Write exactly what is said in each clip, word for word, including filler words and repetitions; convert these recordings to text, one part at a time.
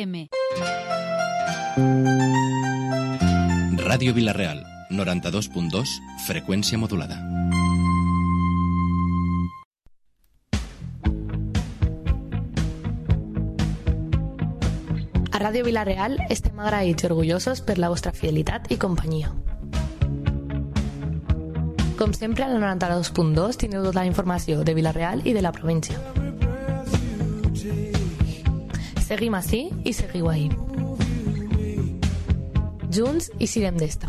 M. Ràdio Vila-real, noranta-dos punt dos, freqüència modulada. A Ràdio Vila-real estem agraïts i orgullosos per la vostra fidelitat i companyia. Com sempre, al noranta-dos punt dos teniu tota la informació de Vila-real i de la província. Seguim ací i seguiu ahí. Junts i sirem d'esta.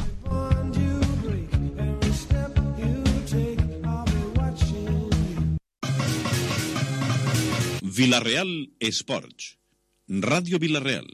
Vila-real Esports. Ràdio Vila-real.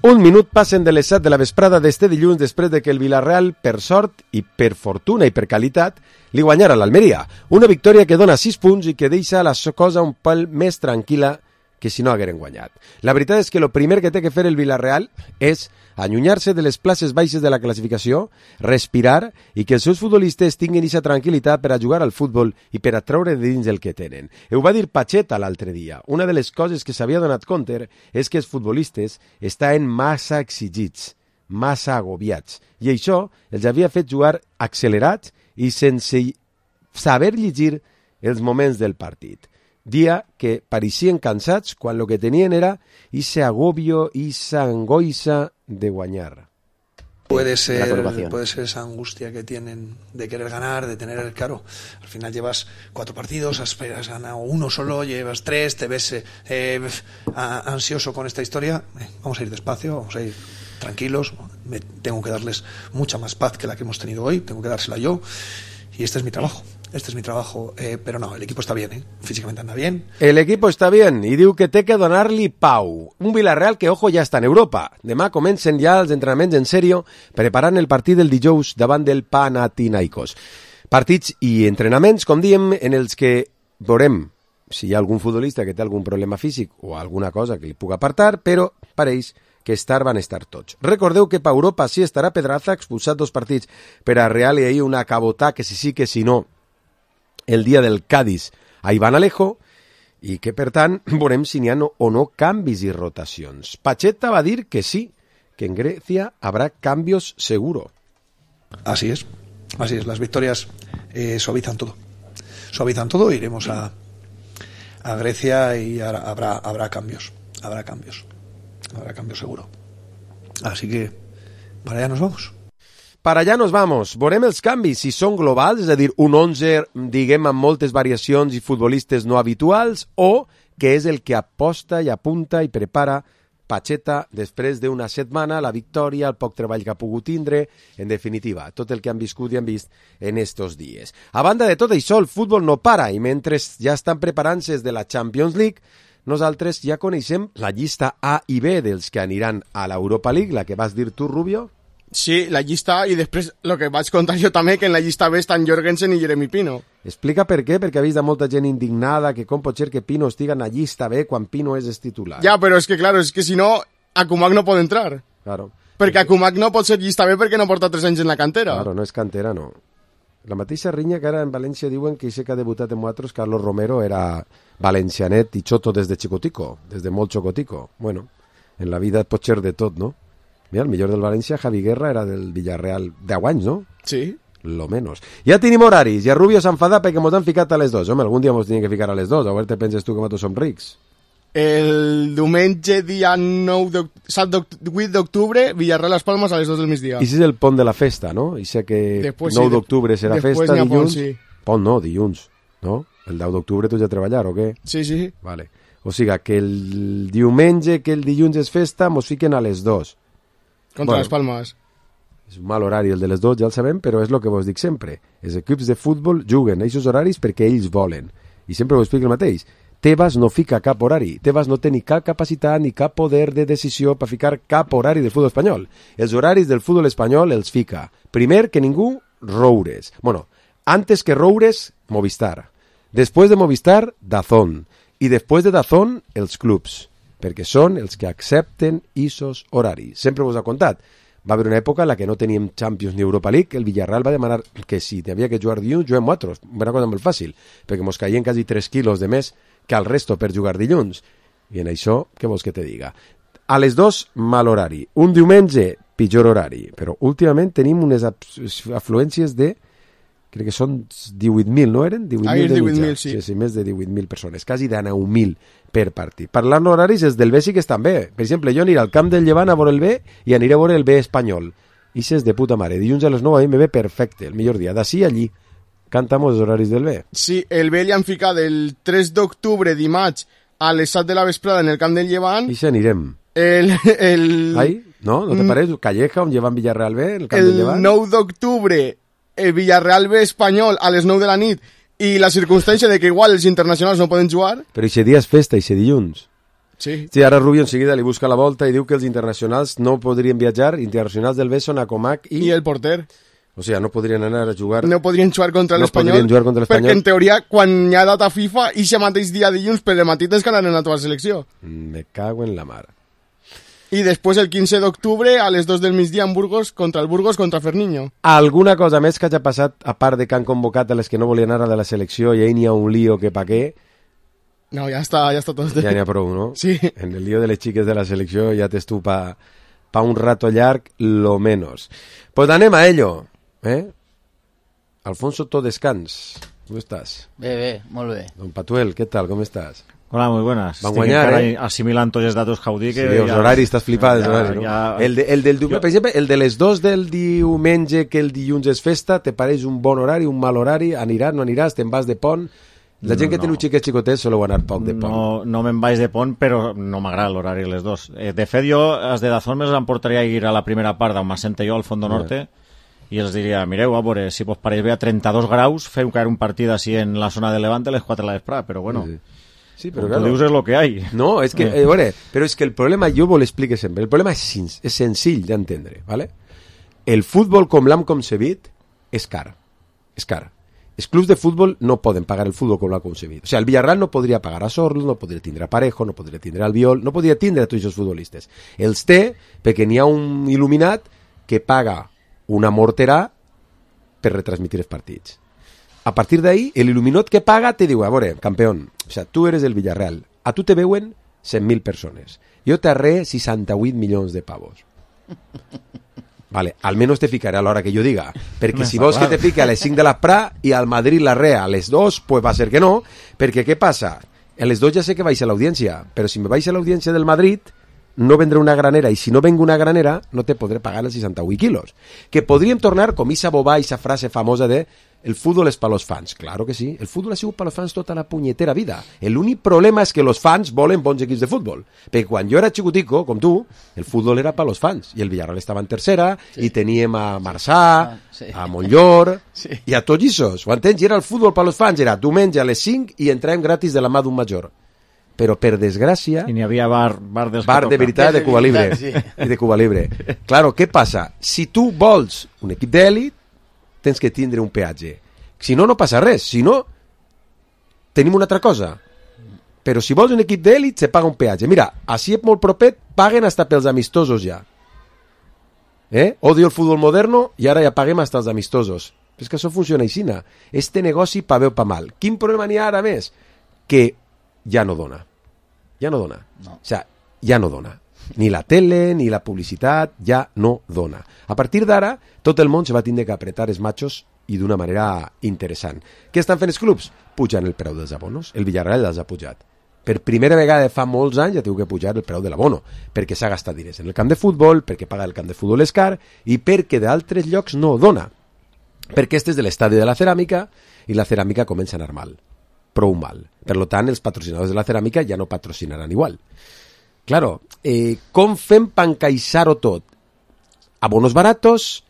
Un minut passen de les set de la vesprada d'este dilluns després de que el Vila-real, per sort i per fortuna i per qualitat, li guanyara l'Almeria. Una victòria que dona sis punts i que deixa la cosa un pèl més tranquil·la que si no hagueren guanyat. La veritat és que el primer que té que fer el Vila-real és allunyar-se de les places baixes de la classificació, respirar i que els seus futbolistes tinguin aquesta tranquil·litat per a jugar al futbol i per a treure de dins el que tenen. Ho va dir Pacheta l'altre dia. Una de les coses que s'havia donat compte és que els futbolistes estaven massa exigits, massa agobiats, i això els havia fet jugar accelerats i sense saber llegir els moments del partit. Dia que pareixien cansats quan el que tenien era ese agobio, esa angoixa de guanyar. Puede ser, puede ser esa angustia que tienen de querer ganar, de tener el claro. Al final llevas cuatro partidos, has, has ganado uno solo, llevas tres, te ves eh, ansioso con esta historia. Eh, vamos a ir despacio, vamos a ir tranquilos. Me, tengo que darles mucha más paz que la que hemos tenido hoy, tengo que dársela yo. Y este es mi trabajo, este es mi trabajo, eh, pero no, el equipo está bien, ¿eh? Físicamente anda bien. El equipo està bien, i diu que té que donar-li pau. Un Vila-real que, ojo, ja està en Europa. Demà comencen ja els entrenaments en sèrio, preparant el partit del dijous davant del Panathinaikos. Partits i entrenaments, com diem, en els que veurem si hi ha algun futbolista que té algun problema físic o alguna cosa que li puga apartar, però pareix que estar van estar tots. Recordeu que per Europa sí estarà Pedraza, expulsat dos partits per a Real i ahir una cabotà que si sí que si no el dia del Cádiz a Iván Alejo, i que per tant veurem si n'hi ha no, o no canvis i rotacions. Pacheta va dir que sí, que en Grecia habrá cambios seguro. Así es, así es, las victorias eh, suavizan todo. Suavizan todo, iremos a, a Grecia y habrá, habrá cambios, habrá cambios. Habrá cambio seguro. Así que para allá nos vamos. Para allá nos vamos. Veurem els canvis, si són globals, és a dir, un onze, diguem, amb moltes variacions i futbolistes no habituals, o que és el que aposta i apunta i prepara Pacheta després d'una setmana, la victòria, el poc treball que ha pogut tindre, en definitiva, tot el que han viscut i han vist en estos dies. A banda de tot això, el futbol no para, i mentre ja estan preparant-se de la Champions League, nosaltres ja coneixem la llista A i B dels que aniran a l'Europa League, la que vas dir tu, Rubio. Sí, la llista A, i després el que vaig contar jo també, que en la llista B estan Jorgensen i Jeremy Pino. Explica per què, perquè ha vist molta gent indignada que com pot ser que Pino estiga en la llista B quan Pino és titular. Ja, però és que, claro, és que si no, Akumak no pot entrar. Claro. Perquè Akumak no pot ser llista B perquè no porta tres anys en la cantera. Claro, no és cantera, no. La mateixa rinya que ara en València diuen que això que ha debutat en nosaltres, Carlos Romero, era valencianet i xoto des de xicotico, des de molt xocotico. Bueno, en la vida pot ser de tot, no? Mira, el millor del València, Javi Guerra, era del Villarreal deu anys, no? Sí. Lo menos. Ja tenim horaris, ja Rubio s'enfada perquè mos han ficat a les dos. Home, algun dia mos tenien que ficar a les dos, a veure te penses tu que nosaltres som rics. El diumenge, dia nou de, vuit d'octubre, Villarreal-Las Palmas a les dos del migdia. I si és el pont de la festa, no? I sé que després, nou sí, d'octubre serà després festa, dilluns. Pont, sí. Pont no, dilluns, no? El deu d'octubre tu ja a treballar, o què? Sí, sí. Vale. O sigui, que el diumenge, que el dilluns és festa, mos fiquen a les dos. Contra bueno, les Palmes. És un mal horari el de les dos, ja el sabem, però és el que vos dic sempre. Els equips de futbol juguen a aquests horaris perquè ells volen. I sempre vos explico el mateix. Tebas no fica cap horari. Tebas no té ni cap capacitat ni cap poder de decisió per ficar cap horari del futbol espanyol. Els horaris del futbol espanyol els fica. Primer que ningú, Roures. Bueno, antes que Roures, Movistar. Després de Movistar, Dazón. I després de Dazón, els clubs. Perquè són els que accepten isos horaris. Sempre vos ha contat. Va haver una època en la que no teníem Champions ni Europa League, el Villarreal va demanar que si havia que jugar dilluns, juguem nosaltres. Una cosa molt fàcil, perquè mos caien quasi tres quilos de més que al resto per jugar dilluns. I en això, què vols que te diga? a les dos, mal horari. Un diumenge, pitjor horari. Però últimament tenim unes afluències de... crec que són divuit mil, no eren? divuit mil ah, de divuit mitjà. mil, sí. Sí, sí, més de divuit mil persones, quasi de nou mil per partit. Parlant d'horaris, els del B sí que estan bé. Per exemple, jo aniré al camp del Llevant a veure el B i aniré a veure el B espanyol. I és de puta mare. Dilluns a les nou a mi me ve perfecte, el millor dia. D'ací a allí. Cantamos els horaris del B. Sí, el B li han ficat el tres d'octubre, dimarts, a les set de la vesprada en el camp del Llevant. I si anirem. El... el... Ai, no? No te pareix? Calleja, on llevan Villarreal B, el camp el del Llevant. El nou d'octubre, el Villarreal B espanyol a les nou de la nit, i la circumstància de que igual els internacionals no poden jugar. Però aquest dia és festa, aquest dilluns. Sí. Sí, ara Rubio enseguida li busca la volta i diu que els internacionals no podrien viatjar, internacionals del B són a Comac i... I el porter. O sigui, no podrien anar a jugar... No podrien jugar contra no l'Espanyol. No podrien jugar contra l'Espanyol. Perquè, en teoria, quan hi ha data FIFA, i aquest mateix dia dilluns, per el matí tens que anar a la teva selecció. Me cago en la mar. I després, el quinze d'octubre, a les dos del migdia, en Burgos, contra el Burgos, contra Ferniño. Alguna cosa més que hagi passat, a part de que han convocat a les que no volien anar de la selecció i ahí n'hi ha un lío que pa què? No, ja està, ja està tot. Ja n'hi ha prou, no? Sí. En el lío de les xiques de la selecció ja t'és tu pa, pa un rato llarg, lo menos. Pues anem a ello, eh? Alfonso Todescans, ¿cómo estás? Bé, bé, molt bé. Don Patuel, ¿qué tal? ¿Cómo estás? Hola, muy buenas. Van guanyar, eh? Assimilant tots els datos que heu dit. Sí, els ja... horaris, estàs flipat, els horaris, no? Ja... El, de, el del diumenge, jo... per exemple, el de les dos del diumenge que el dilluns és festa, te pareix un bon horari, un mal horari? Aniràs, no aniràs, te'n vas de pont? La gent no, que té no. un xiquet xicotets soleu anar poc de pont. No, no me'n vaig de pont, però no m'agrada l'horari les dos. Eh, de fet, jo, els de Dazón me'ls emportaria a ir a la primera part d'on m'assente jo, al Fondo Norte, yeah. i els diria, mireu, a veure, si vos pareix bé a trenta-dos graus, feu caer un partit així en la zona de Levante a les quatre de la vesprada, però bueno... Sí. Sí, però claro. Tú dius és lo que hay. No, és que, eh, bueno, però és que el problema, jo vos l'explique sempre, el problema és, és senzill d'entendre, ¿vale? El futbol com l'hem concebit és car, és car. Els clubs de futbol no poden pagar el futbol com l'ha concebit. O sigui, el Villarreal no podria pagar a Sorlo, no podria tindre a Parejo, no podria tindre al Albiol, no podria tindre a tots els futbolistes. Els té perquè n'hi ha un il·luminat que paga una morterà per retransmitir els partits. A partir d'ahí, l'il·luminat que paga te diu, a veure, campeón, o sea, tu eres el Villarreal, a tu te veuen cent mil persones, jo t'arré seixanta-vuit milions de pavos. Vale, al menos te ficaré a l'hora que jo diga, perquè si vols que te fique a les cinc de l'esprà i al Madrid l'arré a les dos, pues va ser que no, perquè què passa? A les dos ja sé que vaig a l'audiència, però si me vaig a l'audiència del Madrid, no vendré una granera, i si no vengo una granera, no te podré pagar els seixanta-vuit quilos. Que podríem tornar com esa bobà, esa frase famosa de el fútbol és per los fans. Claro que sí, el fútbol ha sigut per los fans tota la punyetera vida. L'únic problema és que los fans volen bons equips de futbol. Perquè quan jo era xicutico, com tu, el futbol era per los fans. I el Villarreal estava en tercera, sí. i teníem a Marçà, ah, sí. a Montllor, sí. i a tots issos. Ho entens? I era el futbol per los fans, era diumenge a les cinc i entràvem gratis de la mà d'un major. Però per desgràcia... I n'hi havia bar, bar, dels bar de veritat de Cuba Libre. Sí. I de Cuba Libre. Claro, què passa? Si tu vols un equip d'èlit, tens que tindre un peatge. Si no, no passa res. Si no, tenim una altra cosa. Però si vols un equip d'èlit, se paga un peatge. Mira, així és molt propet, paguen hasta pels amistosos ja. Eh? Odio el futbol moderno i ara ja paguem hasta els amistosos. És que això funciona així. Este negoci pa bé o pa mal. Quin problema n'hi ha ara més? Que ja no dona. Ja no dona. No. O sea, ja no dona. Ni la tele, ni la publicitat, ja no dona. A partir d'ara, tot el món se va tindre que apretar els machos i d'una manera interessant. Què estan fent els clubs? Pujan el preu dels abonos. El Villarreal els ha pujat. Per primera vegada fa molts anys ja teniu que pujar el preu de l'abono, perquè s'ha gastat diners en el camp de futbol, perquè paga el camp de futbol és car, i perquè d'altres llocs no dona. Perquè este és de l'estadi de la ceràmica, i la ceràmica comença a anar mal. Prou mal. Per tant, els patrocinadors de la ceràmica ja no patrocinaran igual. Claro, eh, com fem per encaixar-ho tot? Abonos baratos,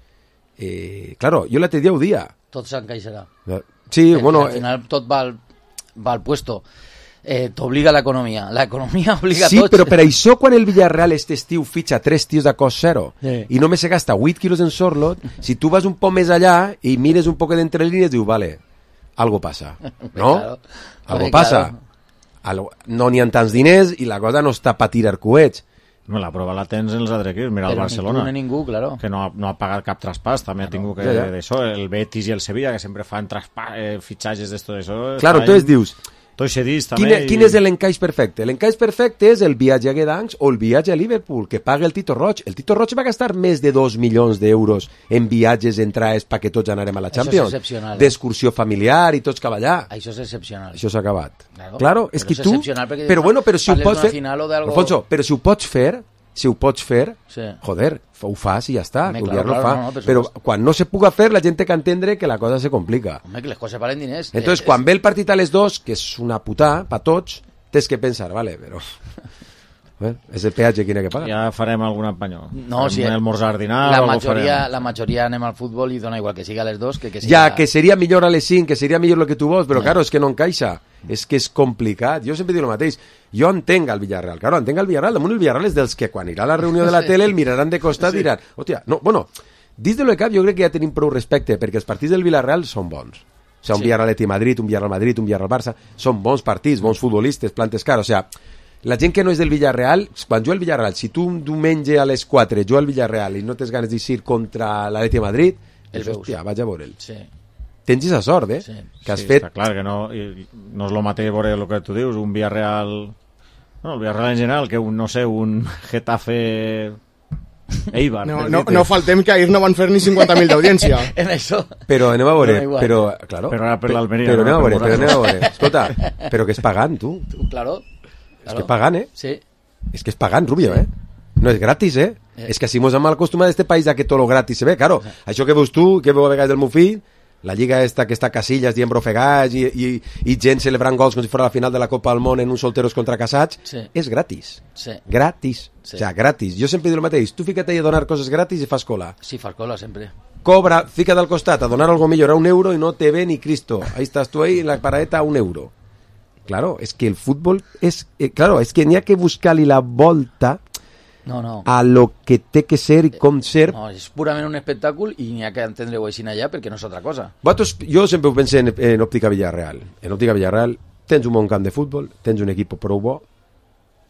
eh, claro, jo l'altre dia ho dia. Tot s'encaixarà. Sí, eh, bueno... Al final eh, tot va al, va al puesto. Eh, t'obliga l'economia. L'economia obliga sí, tots. Sí, però per això quan el Villarreal este estiu fitxa tres tios de cost zero sí. i només se gasta vuit quilos en Sorlot, si tu vas un poc més allà i mires un poc d'entre línies, dius, vale, algo passa, no? Claro. Algo passa. Claro. Algo... No n'hi ha tants diners i la cosa no està per tirar coets. No, la prova la tens en els altres equips. Mira el Barcelona, ni ningú, claro. que no ha, no ha pagat cap traspàs. També claro. ha tingut que ja, ja. d'això. El Betis i el Sevilla, que sempre fan traspàs, eh, fitxatges d'esto d'això. Claro, entonces en... dius, Tots cedits, també. Quin, i... quin és l'encaix perfecte? L'encaix perfecte és el viatge a Gdansk o el viatge a Liverpool, que paga el Tito Roig. El Tito Roig va gastar més de dos milions d'euros en viatges, entrades, perquè tots anarem a la Champions. Això és excepcional. D'excursió familiar i tots cap allà. Això és excepcional. Això s'ha acabat. Claro, claro és que és tu... Però bueno, però si ho pots fer... Algo... Alfonso, però si ho pots fer... Si ho pots fer, sí. joder, ho fas i ja està, Home, que claro, claro, claro, fa. no, no, però quan no se puga fer, la gent té que entendre que la cosa se complica. Home, que les coses valen diners. Entonces, eh, quan és... ve el partit a les dos, que és una putà, pa tots, tens que pensar, vale, però... Bueno, és el peatge que n'hi ha que pagar. Ja farem algun apanyó. No, si el almorzar, dinar... La majoria, la majoria anem al futbol i dona igual que siga a les dos que que siga... Ja, que seria millor a les cinc, que seria millor el que tu vols, però, no. claro, és que no encaixa. És que és complicat. Jo sempre dic el mateix. Jo entenc el Villarreal. Claro, entenc el Villarreal. Damunt el Villarreal és dels que quan irà a la reunió de la tele el miraran de costat i sí. diran... Hòstia, no, bueno, dins de lo que cap jo crec que ja tenim prou respecte, perquè els partits del Villarreal són bons. O sigui, un sí. Villarreal-Atleti Madrid, un Villarreal-Madrid, un Villarreal-Barça, són bons partits, bons futbolistes, plantes cares, o sigui, la gent que no és del Villarreal, quan juga al Villarreal, si tu un diumenge a les quatre juga al Villarreal i no tens ganes d'eixir contra l'Atleti Madrid, el hòstia, vaig a veure'l. Sí. Tens aquesta sort, eh? Sí. Que has sí, fet... Està clar que no, no és el mateix veure el que tu dius, un Villarreal... No, el Villarreal en general, que un, no sé, un Getafe... Eibar. No, no, no faltem que ahir no van fer ni cinquanta mil d'audiència. En això. Però anem a veure, no, però, claro, però ara per l'Almeria. Però anem no, a veure, però anem a veure. Escolta, però que és pagant, tu. tu claro. És que és pagant, eh? Sí. És que és pagant, Rubio, eh? No és gratis, eh? eh. És que si mos hem acostumat a este país a que tot lo gratis se ve, claro. Sí. Això que veus tu, que veu a vegades el meu fill, la lliga esta que està Casillas dient brofegats i, i, i gent celebrant gols com si fos la final de la Copa del Món en uns solteros contra casats, sí. és gratis. Sí. Gratis. Sí. O sea, gratis. Jo sempre dic el mateix. Tu fica't a donar coses gratis i fas cola. Sí, fas cola sempre. Cobra, fica't al costat a donar algo millor a un euro i no te ve ni Cristo. Ahí estás tú ahí en la paradeta a un euro. Claro, es que el fútbol es... Eh, claro, es que n'hi ha que buscar-li la volta... No, no. a lo que té que ser i com ser. No, és purament un espectacle i n'hi ha que entendre-ho així allà perquè no és altra cosa. Vosaltres, jo sempre ho pensé en, en Òptica Villarreal. En Òptica Villarreal tens un bon camp de futbol, tens un equip prou bo,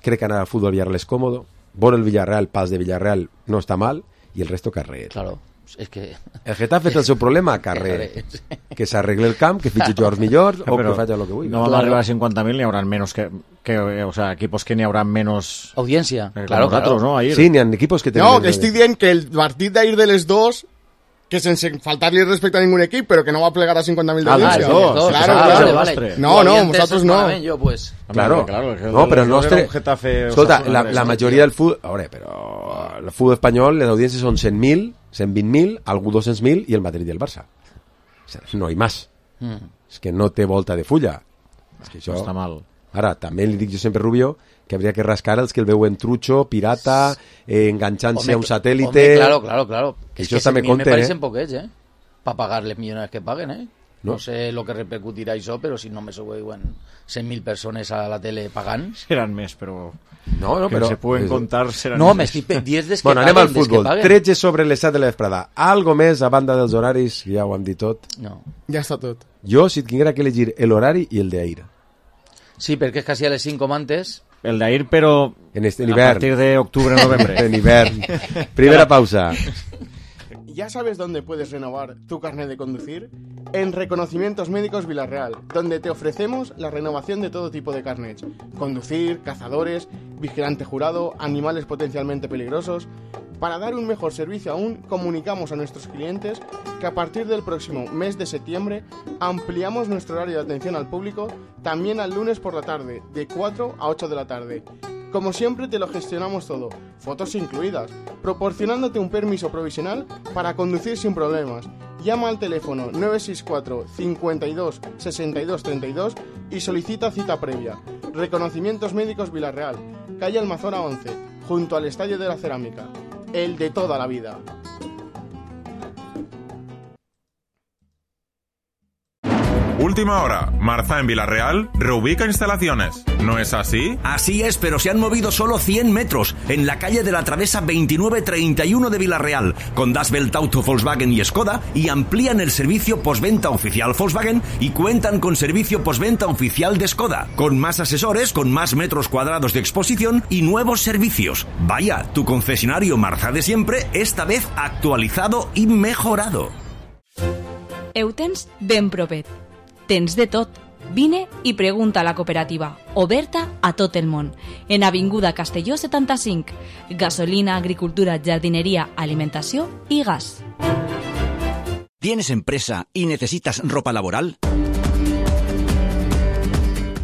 crec que anar al futbol Villarreal és còmodo, bon el Villarreal, pas de Villarreal no està mal, i el resto carrer. Claro, és que... El Getafe té el seu problema, carrer. Que s'arregle el camp, que fitxi jugadors millors o que faci el que vulgui. No van arribar a cincuenta mil, n'hi haurà menos que... que o sea, equipos que n'hi haurà menos... Audiencia, eh, claro, claro. ¿no? Ahir. Sí, n'hi ha equipos que tenen... No, que estic dient que el partit d'ahir de les dos, que sense faltar-li respecte a ningú equip, però que no va plegar a cinquanta mil d'audiència. Ah, dos, dos. Claro, Ah, claro. vale, vale. No, no, nosaltres no. Yo, pues. Claro, claro, no, però el nostre... Getafe, Escolta, la, la majoria del futbol... A veure, però... El futbol espanyol, les audiències són cent mil, cent vint mil, algú dos-cents mil i el Madrid i el Barça. O sea, no hi més. Mm. És que no té volta de fulla. És que això... Està mal. Ara, també li dic jo sempre, Rubio, que hauria que rascar els que el veuen trucho, pirata, eh, enganxant-se a un satèl·lite... Home, claro, claro, claro. Que es això que també me compte, parecen eh? poquets, eh? Para pagar les millones que paguen, eh? No, no sé lo que repercutirà això, però si no me veuen cent mil persones a la tele pagant... Seran més, però... No, no, que però... se pueden contar seran no, més. m'estic diez des que bueno, paguen, anem al futbol. que tretze sobre les set de la vesprada. Algo més a banda dels horaris, ja ho hem dit tot. No. Ja està tot. Jo, si tinguera que elegir l'horari i el d'ahir. Sí, perquè és quasi a les cinc com antes. El d'ahir, però en este, en a hivern. partir de octubre, novembre. En hivern. Primera pausa. ¿Ya sabes dónde puedes renovar tu carnet de conducir? En Reconocimientos Médicos Villarreal, donde te ofrecemos la renovación de todo tipo de carnets. Conducir, cazadores, vigilante jurado, animales potencialmente peligrosos. Para dar un mejor servicio aún, comunicamos a nuestros clientes que a partir del próximo mes de septiembre ampliamos nuestro horario de atención al público también al lunes por la tarde, de cuatro a ocho de la tarde. Como siempre te lo gestionamos todo, fotos incluidas, proporcionándote un permiso provisional para conducir sin problemas. Llama al teléfono nueve seis cuatro, cincuenta y dos, sesenta y dos, treinta y dos y solicita cita previa. Reconocimientos Médicos Villarreal, calle Almazora once, junto al Estadio de la Cerámica. El de toda la vida. Última hora. Marza en Villarreal reubica instalaciones. ¿No es así? Así es, pero se han movido solo cien metros en la calle de la Travesa veintinueve treinta y uno de Villarreal, con Das Welt Auto Volkswagen y Skoda, y amplían el servicio postventa oficial Volkswagen y cuentan con servicio postventa oficial de Skoda, con más asesores, con más metros cuadrados de exposición y nuevos servicios. Vaya, tu concesionario Marza de siempre, esta vez actualizado y mejorado. Eutens ben propet. Tens de tot. Vine i pregunta a la cooperativa, oberta a tot el món. En Avinguda Castelló setanta-cinc. Gasolina, agricultura, jardinería, alimentació i gas. ¿Tienes empresa y necesitas ropa laboral?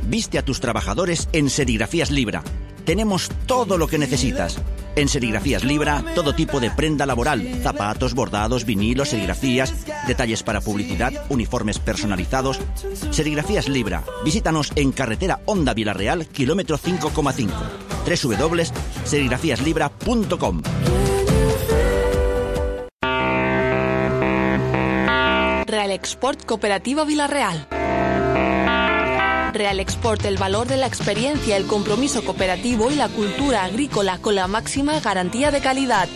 Viste a tus trabajadores en Serigrafías Libra. Tenemos todo lo que necesitas. En Serigrafías Libra, todo tipo de prenda laboral, zapatos, bordados, vinilos, serigrafías, detalles para publicidad, uniformes personalizados. Serigrafías Libra. Visítanos en carretera Honda Vilarreal, kilómetro cinco coma cinco. doble u doble u doble u punto serigrafías libra punto com. Real Export Cooperativa Vilarreal. Real Export, el valor de la experiencia, el compromiso cooperativo y la cultura agrícola con la máxima garantía de calidad.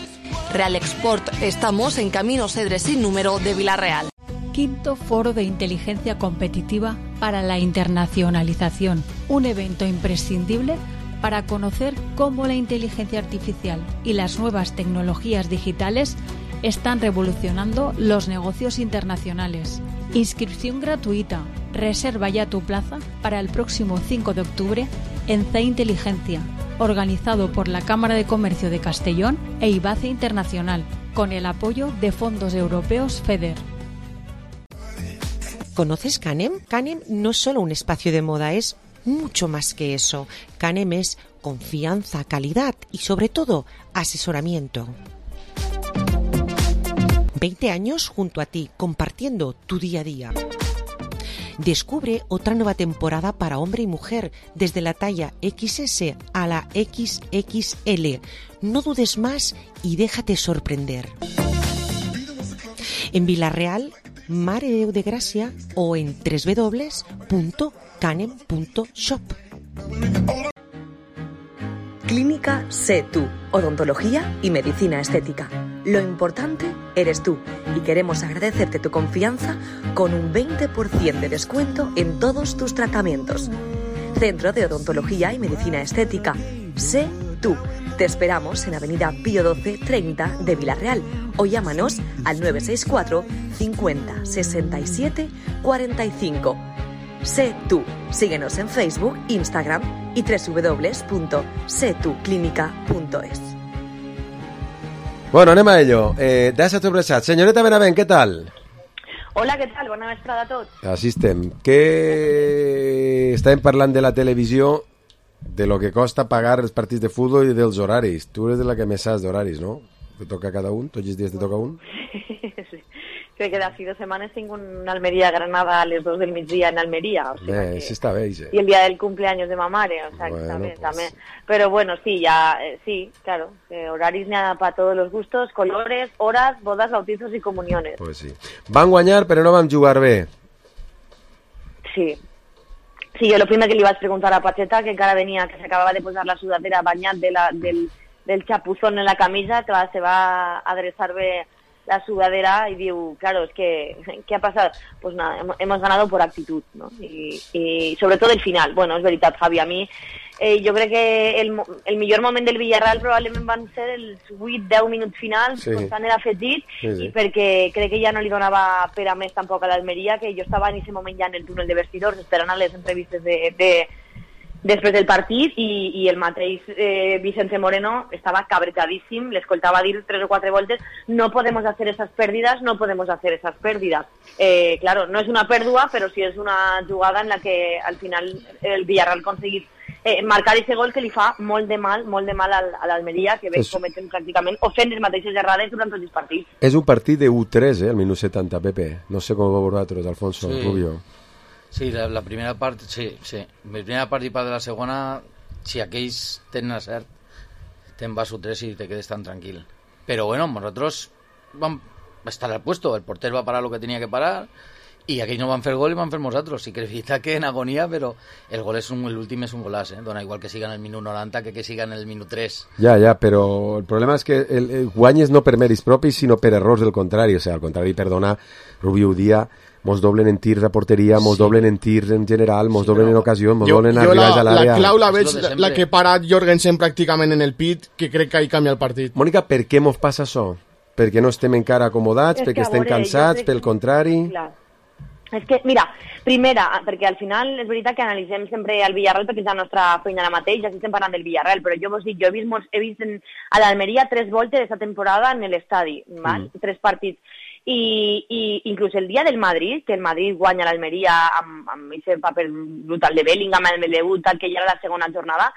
Real Export, estamos en Camino Cedre sin número de Vilarreal. Quinto Foro de Inteligencia Competitiva para la Internacionalización, un evento imprescindible para conocer cómo la inteligencia artificial y las nuevas tecnologías digitales están revolucionando los negocios internacionales. Inscripción gratuita. Reserva ya tu plaza para el próximo cinco de octubre en C Inteligencia, organizado por la Cámara de Comercio de Castellón e IBACE Internacional, con el apoyo de fondos europeos FEDER. ¿Conoces Canem? Canem no es solo un espacio de moda, es mucho más que eso. Canem es confianza, calidad y sobre todo asesoramiento. veinte años junto a ti, compartiendo tu día a día. Descubre otra nueva temporada para hombre y mujer, desde la talla equis ese a la equis equis ele. No dudes más y déjate sorprender. En Vilarreal, Mare de Déu de Gràcia o en doble u doble u doble u punto canem punto shop. Clínica Sé Tú, odontología y medicina estética. Lo importante eres tú y queremos agradecerte tu confianza con un veinte por ciento de descuento en todos tus tratamientos. Centro de Odontología y Medicina Estética. Sé Tú. Te esperamos en Avenida Pío doce treinta de Vilarreal o llámanos al nueve seis cuatro cincuenta sesenta y siete cuarenta y cinco. Sé Tú. Síguenos en Facebook, Instagram y doble u doble u doble u punto sé tú clínica punto es. Bueno, anem a ello. Eh, Deixa sobresat. Senyoreta Benavent, què tal? Hola, què tal? Bona vesprada a tots. Així estem. Què... Estàvem parlant de la televisió, de lo que costa pagar els partits de futbol i dels horaris. Tu eres de la que més saps d'horaris, no? Te toca cada un? Tots els dies te toca un? Sí. Crec que d'aquí dues setmanes tinc un Almeria-Granada a les dos del migdia en Almeria. O sea bé, que... sí està bé, sí. Y el día del cumpleaños de ma mare, o sea que bueno, también, pues... también. Pero bueno, sí, ya, eh, sí, claro, eh, horaris n'hi ha para todos los gustos, colores, horas, bodas, bautizos y comuniones. Pues sí. Van guanyar, però no vam jugar bé. Sí. Sí, jo el primer que li vaig preguntar a Pacheta, que encara venia, que s'acabava de posar la sudadera banyat de la, del, del chapuzón en la camisa, que va, se va adreçar bé la sudadera y digo, claro, es que, ¿qué ha pasado? Pues nada, hemos, hemos ganado por actitud, ¿no? Y, y sobre todo el final. Bueno, es veritat, Javi, a mi eh, jo crec que el, el millor moment del Villarreal probablement van ser els vuit deu minuts finals, sí. Constant era afegit, sí, sí. I perquè crec que ja no li donava per a més tampoc a l'Almeria, que jo estava en aquest moment ja en el túnel de vestidors esperant a les entrevistes de, de després del partit i, i el mateix eh, Vicente Moreno estava cabretadíssim, l'escoltava dir tres o quatre voltes, no podemos hacer esas pérdidas, no podemos hacer esas pérdidas. Eh, claro, no es una pèrdua, però sí és una jugada en la que al final el Villarreal aconseguit eh, marcar ese gol que li fa molt de mal, molt de mal al, a l'Almeria, que ve es... cometen pràcticament o fent les mateixes errades durant tots els partits. És un partit de u tres, eh, al minut setanta, Pepe. No sé com ho veu vosaltres, Alfonso, sí. Rubio. Sí, la, la primera part, sí, sí. La primera part i part de la segona, si aquells tenen cert, te'n vas u tres i te quedes tan tranquil. Pero bueno, nosotros vam estar al puesto, el porter va parar lo que tenía que parar i aquells no van fer gol i van fer nosaltres. Sí que és veritat que en agonia, però el gol és un, l'últim és un golaç, eh? Dona igual que siga en el minut noranta que que siga en el minut tres. Ja, ja, però el problema és que el, el guany és no per mèrits propis, sinó per errors del contrari. O sigui, al contrari, perdona, Rubio Udía, mos doblen en tirs a porteria, mos sí. doblen en tirs en general, mos sí, doblen en ocasió, mos doblen arribats a l'àrea. La clau la veig, la, la que para Jorgensen pràcticament en el pit, que crec que ahí canvia el partit. Mònica, per què mos passa això? Perquè no estem encara acomodats, és perquè estem veure, cansats, pel contrari... Clar. És que, mira, primera, perquè al final és veritat que analitzem sempre el Villarreal perquè és la nostra feina ara mateix, ja estem parlant del Villarreal, però jo vos dic, jo he vist, molts, he vist en, a l'Almeria tres voltes aquesta temporada en l'estadi, mm. tres partits, i, i inclús el dia del Madrid, que el Madrid guanya l'Almeria amb, amb aquest paper brutal de Bellingham, amb el debut, que ja era la segona jornada,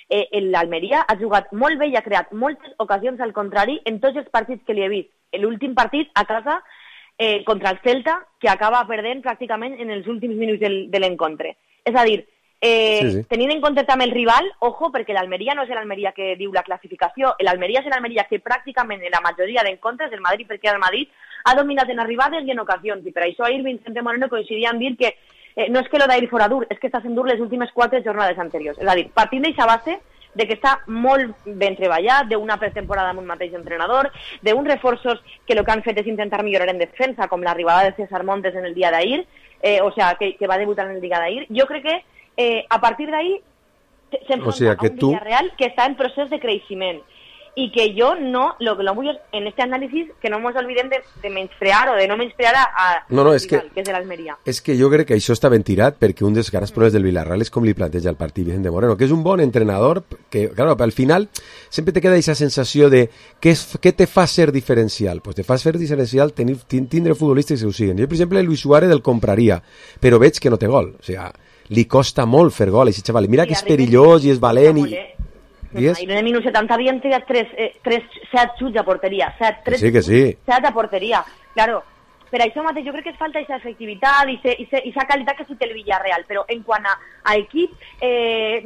eh, l'Almeria ha jugat molt bé i ha creat moltes ocasions al contrari en tots els partits que li he vist. L'últim partit a casa Eh, contra el Celta, que acaba perdent pràcticament en els últims minuts del, de l'encontre. És a dir, eh, sí, sí. tenint en compte també el rival, ojo, perquè l'Almeria no és l'Almeria que diu la classificació, l'Almeria és l'Almeria que pràcticament en la majoria d'encontres del Madrid, perquè el Madrid ha dominat en arribades i en ocasions, i per això ahir Vicente Moreno coincidia en dir que eh, no és que lo d'ahir fora dur, és que està sent dur les últimes quatre jornades anteriors. És a dir, partint d'aquesta base, de que està molt ben treballat, d'una pretemporada amb un mateix entrenador, d'uns reforços que el que han fet és intentar millorar en defensa, com l'arribada de César Montes en el dia d'ahir, eh, o sea, que, que va debutar en el dia d'ahir. Jo crec que eh, a partir d'ahir s'enfronta o sea, a un tu... Villarreal que està en procés de creixement i que jo no, lo que lo vull en este análisis, que no ens olvidem de, de menysprear o de no menysprear a no, no, és rival, que, que és de l'Almeria. És que jo crec que això està ben tirat, perquè un dels grans problemes del Villarreal és com li planteja el partit Vicente Moreno, que és un bon entrenador, que, claro, al final sempre te queda aquesta sensació de què, és, què te fa ser diferencial? Pues te fa ser diferencial tenir, tindre futbolistes que ho siguen. Jo, per exemple, el Luis Suárez el compraria, però veig que no té gol. O sigui, li costa molt fer gol, aquest xaval. Mira que és perillós i és valent i... Ahir en el minut setanta havien triat tres, eh, tres, set xuts a porteria, set, tres sí que sí. set a porteria. Claro, per això mateix jo crec que es falta aquesta efectivitat i aquesta qualitat que sí té el Villarreal, però en quant a, a equip eh,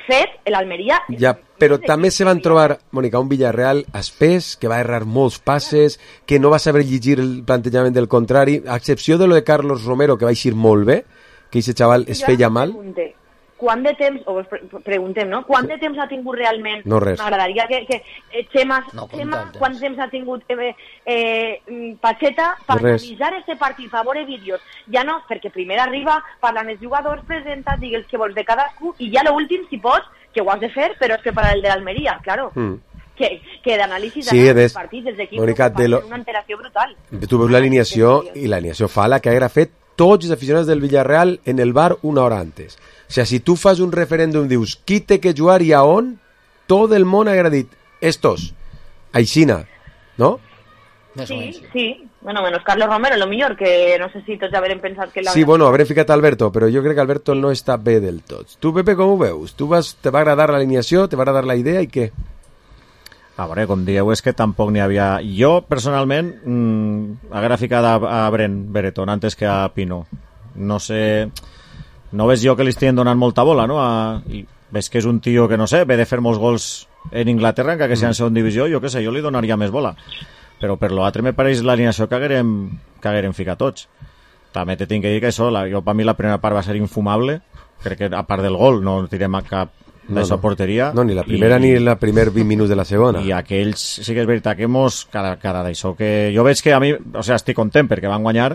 fet, l'Almeria... Ja, però també se van trobar, Mònica, un Villarreal espès, que va errar molts passes, que no va saber llegir el plantejament del contrari, a excepció de lo de Carlos Romero, que va eixir molt bé, que aquest xaval es feia mal. Pregunte. Quant de temps, o preguntem, no? Quant de temps ha tingut realment? No res. M'agradaria que, que eh, Xema, no, Xema quant temps ha tingut eh, eh, Pacheta per analitzar este partit, per veure vídeos. Ja no, perquè primer arriba, parlant els jugadors, presenta, digues que vols de cadascú, i ja l'últim, si pots, que ho has de fer, però és que per al de l'Almeria, claro. Mm. Que, que d'anàlisi sí, dels partits, dels equips, Mónica, fa lo... una alteració brutal. Tu veus l'alineació, i l'alineació fa la que haguera fet tots els aficionats del Villarreal en el bar una hora antes. O sea, si tu fas un referèndum, dius, qui té que jugar i a on, tot el món haguera dit, estos, aixina, no? Sí, sí. Bueno, menos Carlos Romero, lo millor, que no sé si tots haurem pensat que... Sí, bueno, haurem ficat Alberto, però jo crec que Alberto no està bé del tot. Tu, Pepe, com ho veus? Tu vas, te va agradar l'alineació, te va agradar la idea i què? A veure, com dieu, és que tampoc n'hi havia... Jo, personalment, mmm, haguera ficat a, a Brent Brereton antes que a Pino. No sé... No ves jo que li estiguin donant molta bola, no? A... I ves que és un tio que, no sé, ve de fer molts gols en Inglaterra, encara que sigui en segona divisió, jo què sé, jo li donaria més bola. Però per l'altre me pareix l'alineació que haguérem, que haguérem ficat tots. També te tinc que dir que això, la, jo per mi la primera part va ser infumable, crec que a part del gol no tirem a cap de no, no. porteria. No, ni la primera i, ni la primer vint minuts de la segona. I aquells, sí que és veritat que mos, cada, cada d'això que... Jo veig que a mi, o sigui, estic content perquè van guanyar,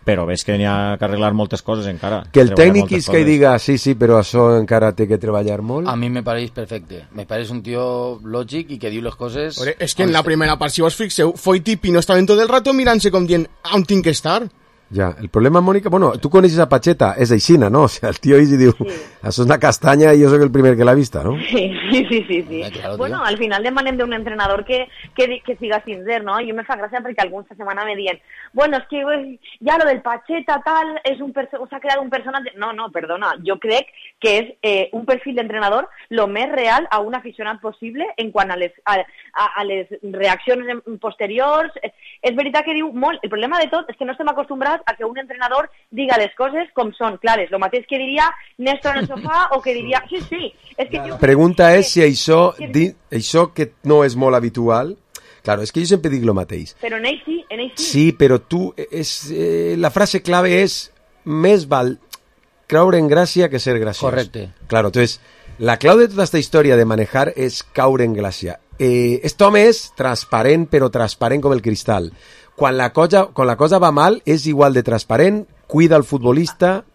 però veig que n'hi ha que arreglar moltes coses encara. Que el tècnic és que diga, sí, sí, però això encara té que treballar molt. A mi me pareix perfecte. Me pareix un tio lògic i que diu les coses... Ore, és que en la primera part, si vos fixeu, Foyt i Pino estaven tot el rato mirant-se com dient, on tinc que estar? Ja, el problema, Mònica, bueno, tu coneixes a Pacheta, és aixina, no? O sea, el tio i diu, sí. Això és una castanya i jo soc el primer que l'ha vista, no? Sí, sí, sí, sí. sí. Eh, claro, bueno, al final demanem d'un entrenador que, que, que siga sincer, no? Jo me fa gràcia perquè alguns esta setmana me dient, bueno, és que ja lo del Pacheta tal, és un s'ha creat un personatge... No, no, perdona, jo crec que és eh, un perfil d'entrenador lo més real a un aficionat possible en quant a les, a, a, a les reaccions posteriors. És veritat que diu molt, el problema de tot és que no estem acostumbrats a que un entrenador diga les coses com són, clares, lo mateix que diria Néstor en el sofà o que diria... Sí, sí, és que jo... La pregunta és si això, di, això que no és molt habitual, claro, és que jo sempre dic lo mateix. Però en ell sí, en ell sí. Sí, però tu, és, eh, la frase clave és més val creure en gràcia que ser graciós. Correcte. Claro, entonces, la clau de tota esta història de manejar és caure en gràcia. Eh, este home és transparent, però transparent com el cristal. Quan la cosa, quan la cosa va mal, és igual de transparent, cuida el futbolista...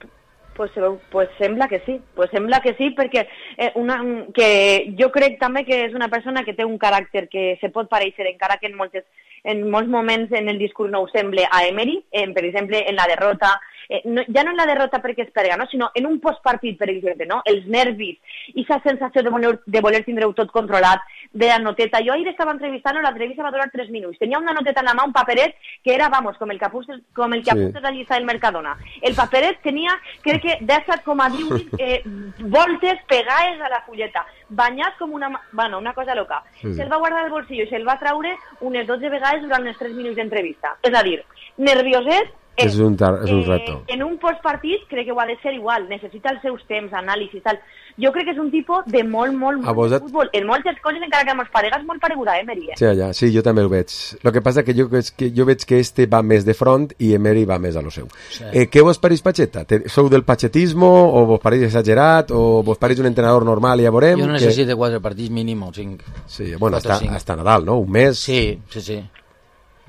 Pues, pues sembla que sí, pues sembla que sí, perquè eh, una, que jo crec també que és una persona que té un caràcter que se pot pareixer, encara que en, moltes, en molts moments en el discurs no ho sembla, a Emery, en, per exemple, en la derrota, eh, no, ja no en la derrota perquè es perga, no? Sinó en un postpartit, per exemple, no? Els nervis, i aquesta sensació de voler, de voler tindre-ho tot controlat, de la noteta. Jo ahir estava entrevistant, l'entrevista va durar tres minuts. Tenia una noteta en la mà, un paperet, que era, vamos, com el que apuntes, com el que apuntes sí. a llista del Mercadona. El paperet tenia, crec que, disset coma divuit eh, voltes pegades a la fulleta, banyat com una... Bueno, una cosa loca. Sí. Se'l va guardar al bolsillo i se'l va traure unes dotze vegades durant els tres minuts d'entrevista. És a dir, nervioset, Eh, és, un tar, és un reto. Eh, en un postpartit crec que ho ha de ser igual, necessita els seus temps, anàlisis, tal. Jo crec que és un tipus de molt, molt, molt de futbol. En moltes coses, encara que amb els paregas, molt pareguda, eh, Emery? Eh? Sí, ja, sí, jo també ho veig. El que passa que jo, és que jo veig que este va més de front i Emery va més a lo seu. Sí. Eh, què vos pareix Pacheta? Sou del pachetismo o vos pareix exagerat o vos pareix un entrenador normal i ja veurem? Jo necessito que... quatre partits mínim o cinc. Sí, bueno, hasta, hasta Nadal, no? Un mes. Sí, sí, sí.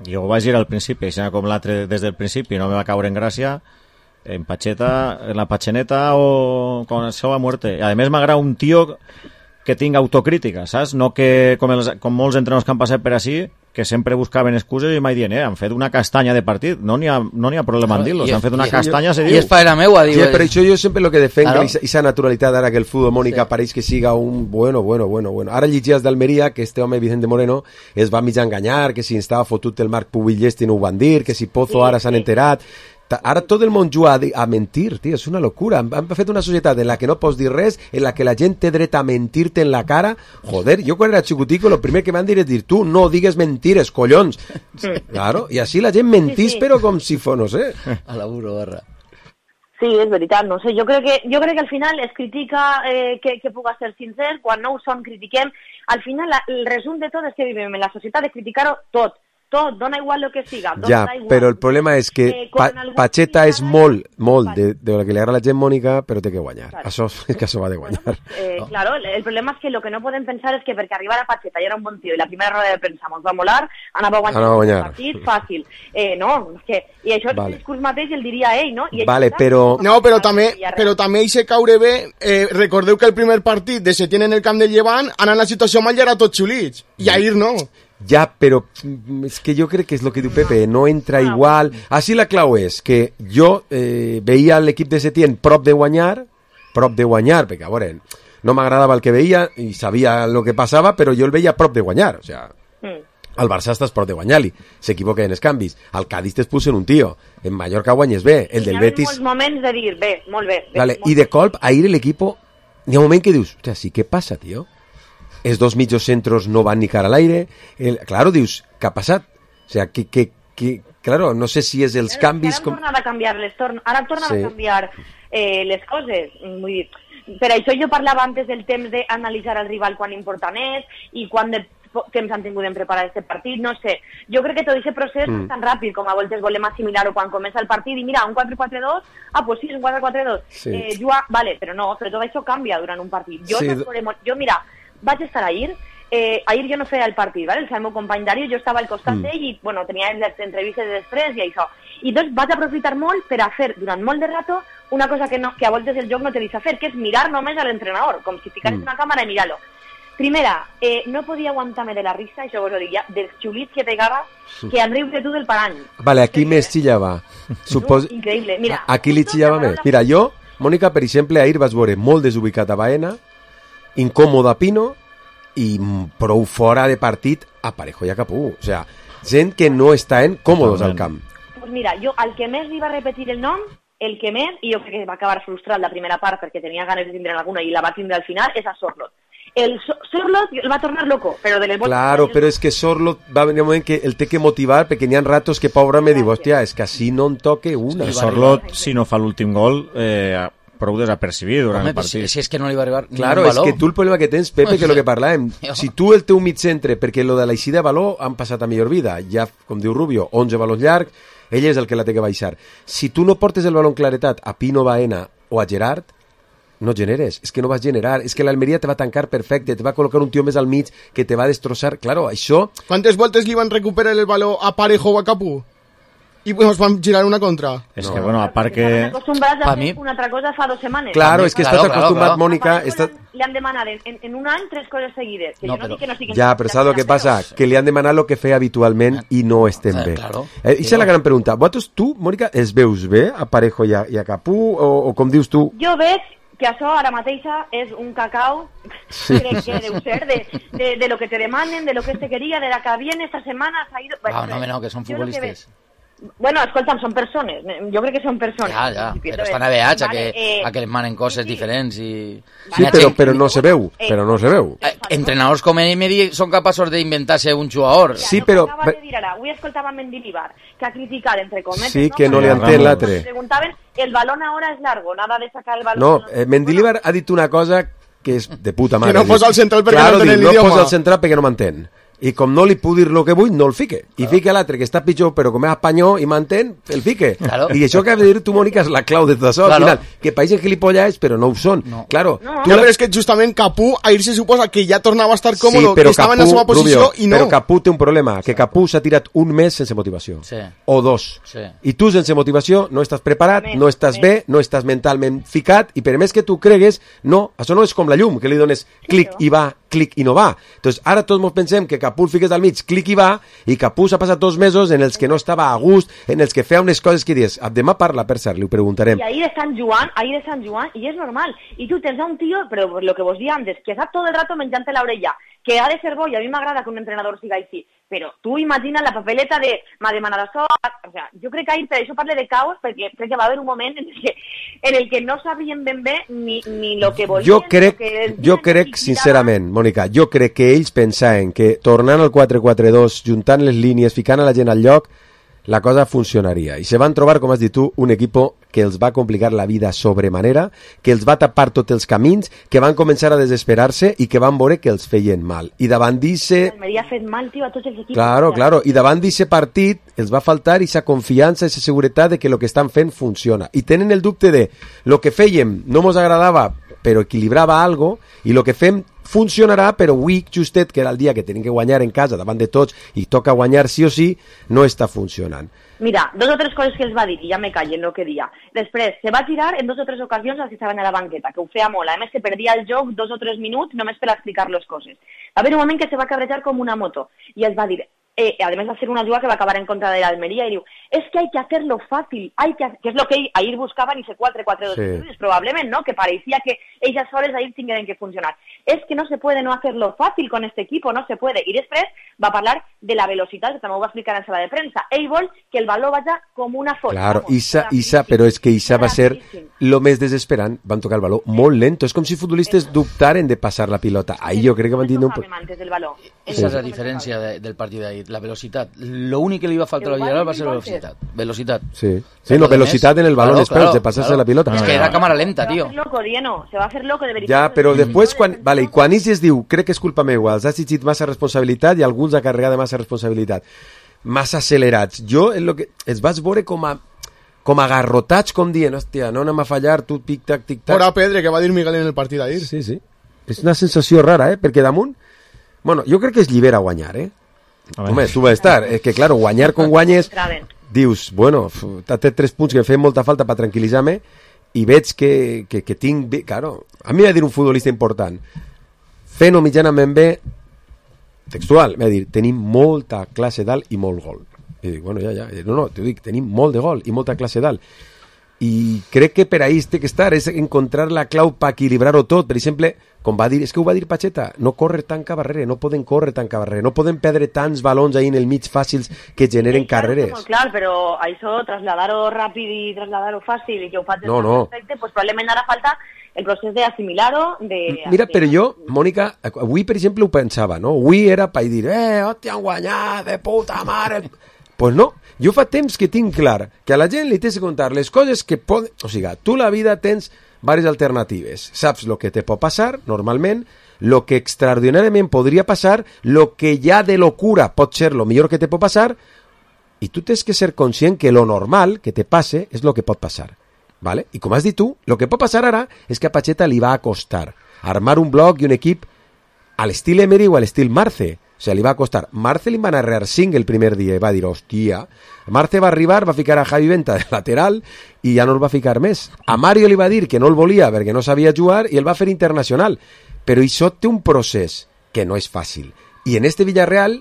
Jo ho vaig dir al principi, així com l'altre des del principi no me va caure en gràcia, en Pacheta, en la Pacheneta o con això a muerte. I a més m'agrada un tio que tinga autocrítica, saps? No que, com, els, com molts entrenadors que han passat per així, que sempre buscaven excuses i mai dient, eh, han fet una castanya de partit, no n'hi ha, no n'hi ha problema en dir-los, han fet una castanya, se diu. I és faena meua, diu. Sí, per això jo sempre lo que defenc, claro. Esa naturalitat ara que el futbol, Mònica, sí. Pareix que siga un bueno, bueno, bueno, bueno. Ara llegies d'Almeria que este home Vicente Moreno es va mig enganyar, que si estava fotut el Marc Pubillesti no ho van dir, que si Pozo sí, ara s'han sí. enterat. Ara tot el món juga a, a mentir, tio, és una locura. Han, han fet una societat en la que no pots dir res, en la que la gent té dret a mentir-te en la cara. Joder, jo quan era xicutico el primer que van dir és dir, tu no digues mentires, collons. Claro, i així la gent mentís, sí, sí. Però com si fos, no sé. A la burro, barra. Sí, és veritat, no sé, jo crec que, jo crec que al final es critica eh, que, que puga ser sincer, quan no ho som critiquem. Al final la, el resum de tot és que vivim en la societat de criticar-ho tot. Tot, dona igual lo que siga. Ja, però el problema és que eh, pa Pacheta és molt, molt de, de lo que li agrada a la gent, Mònica, però té que guanyar. Claro. Això és que això va de guanyar. Bueno, eh, no. Claro, el problema és que lo que no podem pensar és que perquè arribar a Pacheta i era un bon tio i la primera roda de premsa mos va molar, anava a guanyar, anava a guanyar. El partit fàcil. Eh, no, és que, i això vale. És el discurs mateix el diria ell, no? I vale, però... No, però també, però també hi se caure bé, eh, recordeu que el primer partit de Setién en el camp del Llevant, anar en la situació mal ja era tot xulits, i ahir no. Ja, però és que jo crec que és el que diu Pepe, no entra igual. Així la clau és que jo eh, veia l'equip de Setién prop de guanyar, prop de guanyar, perquè a veure, no m'agradava el que veia i sabia el que passava, però jo el veia prop de guanyar, o sea, el Barça estàs prop de guanyar-li, s'equivoca en els canvis, al Cádiz t'es pusen un tio, en Mallorca guanyes bé, el del Betis... Hi ha molts moments de dir, bé, molt bé. bé vale, molt I de colp, ahir l'equip, hi ha un moment que dius, hòstia, sí, què passa, tio? Els dos mitjos centros no van ni cara al aire. El, claro, dius, què ha passat? O sea, que, que, que, claro, no sé si és els Però canvis... Ara han tornat a canviar les, torn... ara han tornat sí. a canviar eh, les coses. Vull dir, per això jo parlava antes del temps d'analitzar el rival quan important és i quan de temps han tingut en preparar aquest partit, no sé. Jo crec que tot aquest procés mm. és tan ràpid com a voltes volem assimilar-ho quan comença el partit i mira, un quatre quatre dos, ah, pues sí, és un quatre quatre dos. Sí. Eh, juga... Vale, però no, però tot això canvia durant un partit. Jo, sí. no jo mira, vaig estar ahir, eh, ahir jo no feia el partit, ¿vale? El meu company Dario, jo estava al costat mm. d'ell i, bueno, tenia les entrevistes després i això. I doncs vaig aprofitar molt per a fer durant molt de rato una cosa que, no, que a voltes el joc no te deixa fer, que és mirar només a l'entrenador, com si ficares mm. una càmera i mirar-lo. Primera, eh, no podia aguantar-me de la risa, això vos ho dic ja, dels xulits que pegava, que han riut de tu del parany. Vale, aquí més xillava. Supos... No, increïble, mira. Aquí li xillava més. Mira, jo, Mònica, per exemple, ahir vas veure molt desubicat a Baena, incòmode a Pino, i prou fora de partit a Parejo i a Capú. O sea, gent que no estan còmodes al camp. Pues mira, jo al que més li va repetir el nom, el que més, i jo crec que va acabar frustrat la primera part perquè tenia ganes de tindre alguna i la va tindre al final, és a Sorlot. El so Sorlot el va tornar loco, però de les voltes... Claro, però és que Sorlot va venir un moment que el té que motivar, perquè n'hi ha ratos que pobre me diu, hòstia, és que així no en toque una. El Sorlot, si no fa l'últim gol, eh, prou desapercibit durant Home, el partit. Si, si és que no li va arribar ni claro, un valor. És que tu el problema que tens, Pepe, que és el que parlàvem, si tu el teu mig centre, perquè lo de l'aixida de valor han passat a millor vida, ja, com diu Rubio, onze valors llargs, ell és el que la té que baixar. Si tu no portes el valor en claretat a Pino Baena o a Gerard, no generes, és que no vas generar, és que l'Almeria te va tancar perfecte, te va col·locar un tio més al mig que te va destrossar, claro, això... Quantes voltes li van recuperar el valor a Parejo o a Capú? y nos van a girar una contra. Es no. que, bueno, aparte que... acostumbrats a fer una altra cosa fa dues setmanes. Claro, és que estàs claro, acostumat, claro, Mònica... Estàs... Li han demanat en, en un any tres coses seguides. Que no, jo no però... dic que no siguin... Ja, però saps el que passa? Que li han demanat el que feia habitualment i no estem bé. Claro. Eh, Ixa és la gran pregunta. Vosaltres, tu, Mònica, els veus bé a Parejo i a, i a Capú? O, o com dius tu? Jo veig que això ara mateixa és un cacao, sí. crec que deu ser, de, de, de lo que te demanen, de lo que se quería, de la que viene esta semana, s'ha ido... Ah, no, no, que són futbolistes. Bueno, escolta'm, són persones, jo crec que són persones. Ja, ja, però estan aveats a que, eh, a que les manen coses sí, diferents i... Sí, però, però no se veu, però no se veu. Eh, entrenadors com Emery són capaços d'inventar-se un jugador. Sí, però... Acaba de dir ara, avui escoltava Mendilibar, que ha criticat, entre cometes... Sí, que no, no li entén l'altre. Preguntaven, el balón ahora es largo, nada de sacar el balón... No, eh, Mendilibar ha dit una cosa que és de puta mare. Que no posa el central perquè claro, no entén l'idioma. No posa el central perquè no m'entén. I com no li puc dir el que vull, no el fique. I fique l'altre, que està pitjor, però com és espanyol i m'entén, el fique. Claro. I això que has de dir tu, Mònica, és la clau de tot això. Claro. Al final, que païsen gilipollas, però no ho són. No. Claro. No, no, però és que justament Capú, ahir se suposa que ja tornava a estar còmodo, sí, que estava Capú, en la seva posició Rubio, i no. Però Capú té un problema, que Capú s'ha tirat un mes sense motivació. Sí. O dos. Sí. I tu sense motivació no estàs preparat, més, no estàs més. bé, no estàs mentalment ficat, i per més que tu cregues, no, això no és com la llum, que li dones clic i va, clic i no va. Entonces, ara tots ens pensem que Capú el fiques al mig, clic i va, i Capú s'ha passat dos mesos en els que no estava a gust, en els que feia unes coses que dius, demà parla, per cert, li ho preguntarem. I ahir de Sant Joan, ahir de Sant Joan, i és normal. I tu tens a un tio, però lo que vos dia antes, que està tot el rato menjant la orella, que ha de ser bo, i a mi m'agrada que un entrenador siga així, però tu imagina la papeleta de m'ha demanat això, o sea, jo crec que ahir per això parle de caos, perquè crec que va haver un moment en el que, en el que no sabien ben bé ni, ni lo que volien. Jo crec, que jo crec sincerament, Mònica, jo crec que ells pensaven que tornant al quatre quatre dos, juntant les línies, ficant a la gent al lloc, la cosa funcionaria. I se van trobar, com has dit tu, un equipo que els va complicar la vida sobremanera, que els va tapar tots els camins, que van començar a desesperar-se i que van veure que els feien mal. I davant d'eixe... M'havia fet mal, tio, a tots els equips. Claro, claro. I davant d'eixe partit els va faltar aquesta confiança, aquesta seguretat de que el que estan fent funciona. I tenen el dubte de lo que fèiem no mos agradava, però equilibrava algo, i lo que fem funcionarà, però avui, justet, que era el dia que tenim que guanyar en casa davant de tots i toca guanyar sí o sí, no està funcionant. Mira, dos o tres coses que els va dir, i ja me callen el que dia. Després, se va tirar en dos o tres ocasions als que estaven a la banqueta, que ho feia molt. A més, que perdia el joc dos o tres minuts només per explicar les coses. Va haver un moment que se va cabrejar com una moto, i els va dir... Eh, además de hacer una jugada que va a acabar en contra de la Almería, y digo, es que hay que hacerlo fácil, hay que, que es lo que ahir buscaban y se quatre quatre dos, sí. Probablemente, ¿no? Que parecía que ellas soles ahí tienen que funcionar. Es que no se puede no hacerlo fácil con este equipo, no se puede. Y después va a hablar de la velocidad, que también va a explicar en sala de prensa. Ell vol que el baló vaya como una foto. Claro, Isa, Isa, però és que Isa va ser lo més desesperant, van tocar el baló molt lento, és com si futbolistes dubtaren de passar la pilota. Ahí jo crec que van dir... Esa es la diferència de, del partit d'ahir, la velocitat. Lo únic que li va faltar a la Villarreal va ser la velocitat. Velocitat. Sí, sí, no, velocitat en el balón, claro, claro, de passar-se claro. la pilota. És que era cámara lenta, tío. Se va a loco, Dieno, se va a hacer loco de veritat. Ja, però després, quan, vale, i quan Isis diu, crec que és culpa meua, els ha exigit massa responsabilitat i alguns ha carregat de massa responsabilitat, massa accelerats. Jo, en lo que es vas veure com a com agarrotats, com dient, hòstia, no anem a fallar, tu tic-tac, tic-tac. Fora Pedre, que va dir Miguel en el partit d'ahir. Sí, sí. És una sensació rara, eh? Perquè damunt, bueno, jo crec que es llibera guanyar, eh? Home, tu vas estar. És que, claro, guanyar com guanyes, dius, bueno, té tres punts que em feien molta falta per tranquil·litzar-me i veig que, que, que tinc... Claro, a mi m'ha dir un futbolista important, fent-ho mitjanament bé, textual, m'ha dir, tenim molta classe dalt i molt gol. I dic, bueno, ja, ja, no, no, t'ho dic, tenim molt de gol i molta classe dalt. I crec que per ahí té que estar, és encontrar la clau per equilibrar-ho tot. Per exemple, com va dir, és que ho va dir Pacheta, no corre tant carrere, no poden córrer tant carrere, no poden perdre tants balons ahí en el mig fàcils que generen carreres. Molt clar, però això, trasladar-ho ràpid i trasladar-ho fàcil i que ho faig no, no. perfecte, pues probablement ara falta el procés d'assimilar-ho. De... Mira, però jo, Mònica, avui, per exemple, ho pensava, no? Avui era per dir, eh, hòstia, han guanyat, de puta mare... Pues no, jo fa temps que tinc clar que a la gent li tens que contar les coses que poden... O sigui, tu la vida tens diverses alternatives. Saps el que te pot passar, normalment, el que extraordinàriament podria passar, el que ja de locura pot ser el millor que te pot passar, i tu tens que ser conscient que lo normal que te passe és el que pot passar. ¿Vale? I com has dit tu, el que pot passar ara és que a Pacheta li va a costar armar un bloc i un equip a l'estil Emery o a l'estil Marce. sigui, li va costar. Marce li va narrar cinc el primer dia i va dir, hòstia, Marce va arribar, va ficar a Javi Venta de lateral i ja no el va ficar més. A Mario li va dir que no el volia perquè no sabia jugar i el va fer internacional. Però això té un procés que no és fàcil. I en este Villarreal,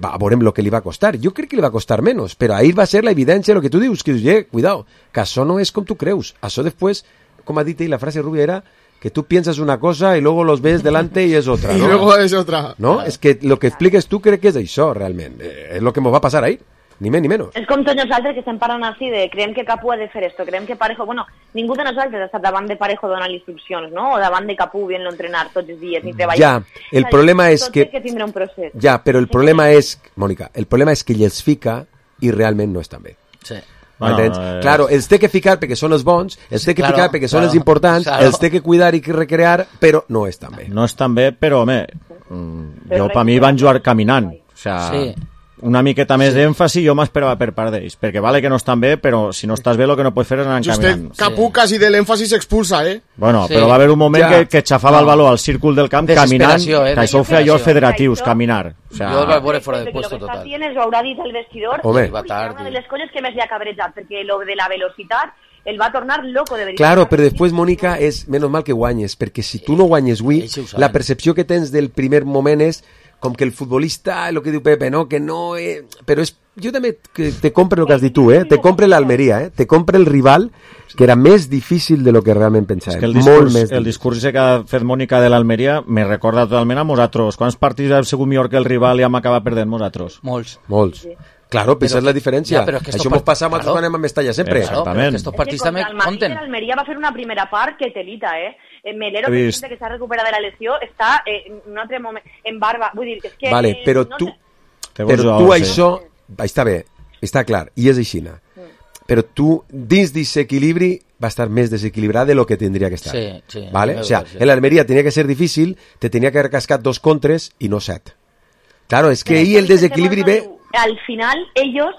va, veurem el que li va costar. Jo crec que li va costar menys, però ahir va ser la evidència el que tu dius, que dius, eh, cuidado, que això no és com tu creus. Això després, com ha dit ell, la frase rubia era que tú piensas una cosa y luego los ves delante y es otra, ¿no? Y luego es otra. ¿No? Es que lo que expliques tú crec que és això, realment. Eh, és lo que ens va passar ahir. Ni més ni menys. És com tots nosaltres que estem parlant així de creiem que Capú ha de fer esto, creiem que Parejo... Bueno, ningú de nosaltres ha estat davant de Parejo donant instruccions, no? O davant de Capú viendo entrenar tots els dies ni treballar. Ja, el problema és que... que tindrà un procés. Ja, però el problema és... Mònica, el problema és que ell els fica i realment no estan bé. Sí. Bueno, eh... Claro, els té que ficar perquè són els bons, els té que claro, ficar perquè són claro, els importants, claro. els té que cuidar i que recrear, però no estan bé. No estan bé, però, home, mm, jo per mi van jugar caminant. O sea, sí. Una miqueta més sí. d'èmfasi jo m'esperava per part d'ells, perquè vale que no estan bé, però si no estàs bé el que no pots fer és anar caminant. Capú sí. quasi de l'èmfasi s'expulsa, eh? Bueno, sí. però va haver un moment ja. que, que xafava no. el baló al círcul del camp caminant, eh? que això ho feia jo als federatius, caminar. O sea, jo el vaig veure fora de puesto total. Lo que tienes ho haurà dit el vestidor, Home. i va tard. Una de les coses que més li ha cabrejat, perquè lo de la velocitat el va tornar loco de veritat. Claro, però després, Mònica, és menys mal que guanyes, perquè si tu no guanyes avui, la percepció que tens del primer moment és com que el futbolista, el que diu Pepe, no? Que no... Eh... Però és... Jo també que te compre el que has dit tu, eh? Te compre l'Almeria, eh? Te compre el rival, que era més difícil de lo que realment pensava. És que el discurs, més el discurs que ha fet Mònica de l'Almeria me recorda totalment a nosaltres. Quants partits hem sigut millor que el rival i hem acabat perdent nosaltres? Molts. Molts. Sí. Claro, però esa és la diferència. Ja, que això mos passa a nosaltres quan anem a Mestalla sempre. Exactament. Estos partits també compten. L'Almeria va fer una primera part que telita, eh? Melero, que s'ha recuperat de la lesió, està en un altre moment, en barba. Vull dir, és que... Vale, però no tu, sé. però tu això... Està bé, està clar, i és aixina. Mm. Però tu, dins d'equilibri, va estar més desequilibrada de lo que tindria que estar. Sí, sí. ¿Vale? O sea, en l'Almeria tenia que ser difícil, te tenia que haver cascat dos contres i no set. Claro, es que ahí el desequilibri ve... Al final, ellos...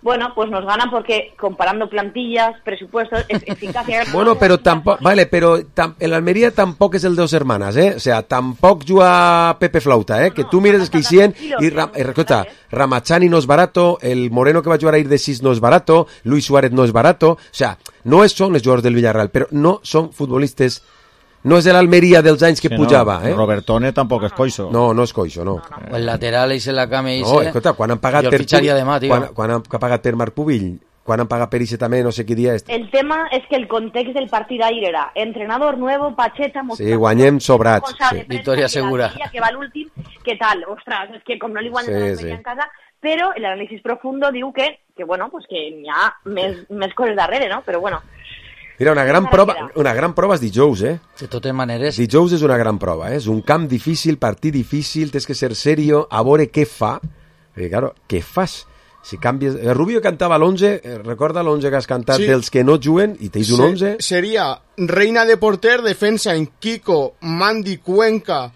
Bueno, pues nos ganan porque comparando plantillas, presupuestos, eficacia... Bueno, pero tampoco... Vale, pero tam, el Almería tampoco es el de dos hermanas, ¿eh? O sea, tampoco juga Pepe Flauta, ¿eh? Que tú mires que hicieron y... Ra, eh, recuerda, Ramachani no es barato, el Moreno que va a jugar a ir de sis no es barato, Luis Suárez no es barato, o sea, no son los jugadores del Villarreal, pero no son futbolistas... No és l'Almeria dels anys que sí, pujava, no. eh? Robertone tampoc és coixo. No, no és coixo, no. no, no. El lateral és la cama i no, escolta, quan han pagat per Pubill, demà, quan, quan han pagat per Marc Pubill, quan han pagat per Ixe també, no sé què dia és. El tema és que el context del partit ahir era entrenador nuevo, Pacheta... Sí, guanyem sobrats. Sí. Victòria segura. Que va l'últim, què tal? Ostres, és que com no li guanyes sí, sí. en casa... Però l'anàlisi profundo diu que, que bueno, pues que hi ha més, més coses darrere, no? Però bueno... Mira, una gran prova, una gran prova és dijous, eh? De totes maneres... Dijous és una gran prova, eh? És un camp difícil, partit difícil, tens que ser serio, a veure què fa. Perquè, claro, què fas? Si canvies... El Rubio cantava l'onze, recorda l'onze que has cantat sí. dels que no juguen, i tens un onze? Seria Reina de porter, defensa en Kiko, Mandi, Cuenca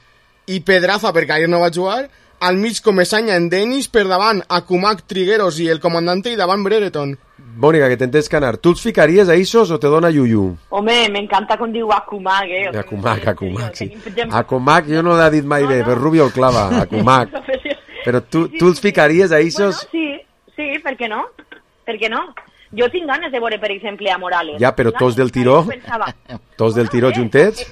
i Pedraza, perquè ahir no va jugar, al mig Comesaña en Denis, per davant Akumak, Trigueros i el comandante, i davant Brereton. Mónica, que t'entens canar. ¿Tú els ficaries a Isos o te dona Yuyu? Home, m'encanta com diu Akumak, eh? Akumak, Akumak, sí. Akumak jo no l'ha dit mai bé, però Rubio el clava, Akumak. Però tu, tu els ficaries a Isos? Bueno, sí, sí, per què no? Per què no? Jo tinc ganes de veure, per exemple, a Morales. Ja, però tots del tiró? Tots del tiró juntets?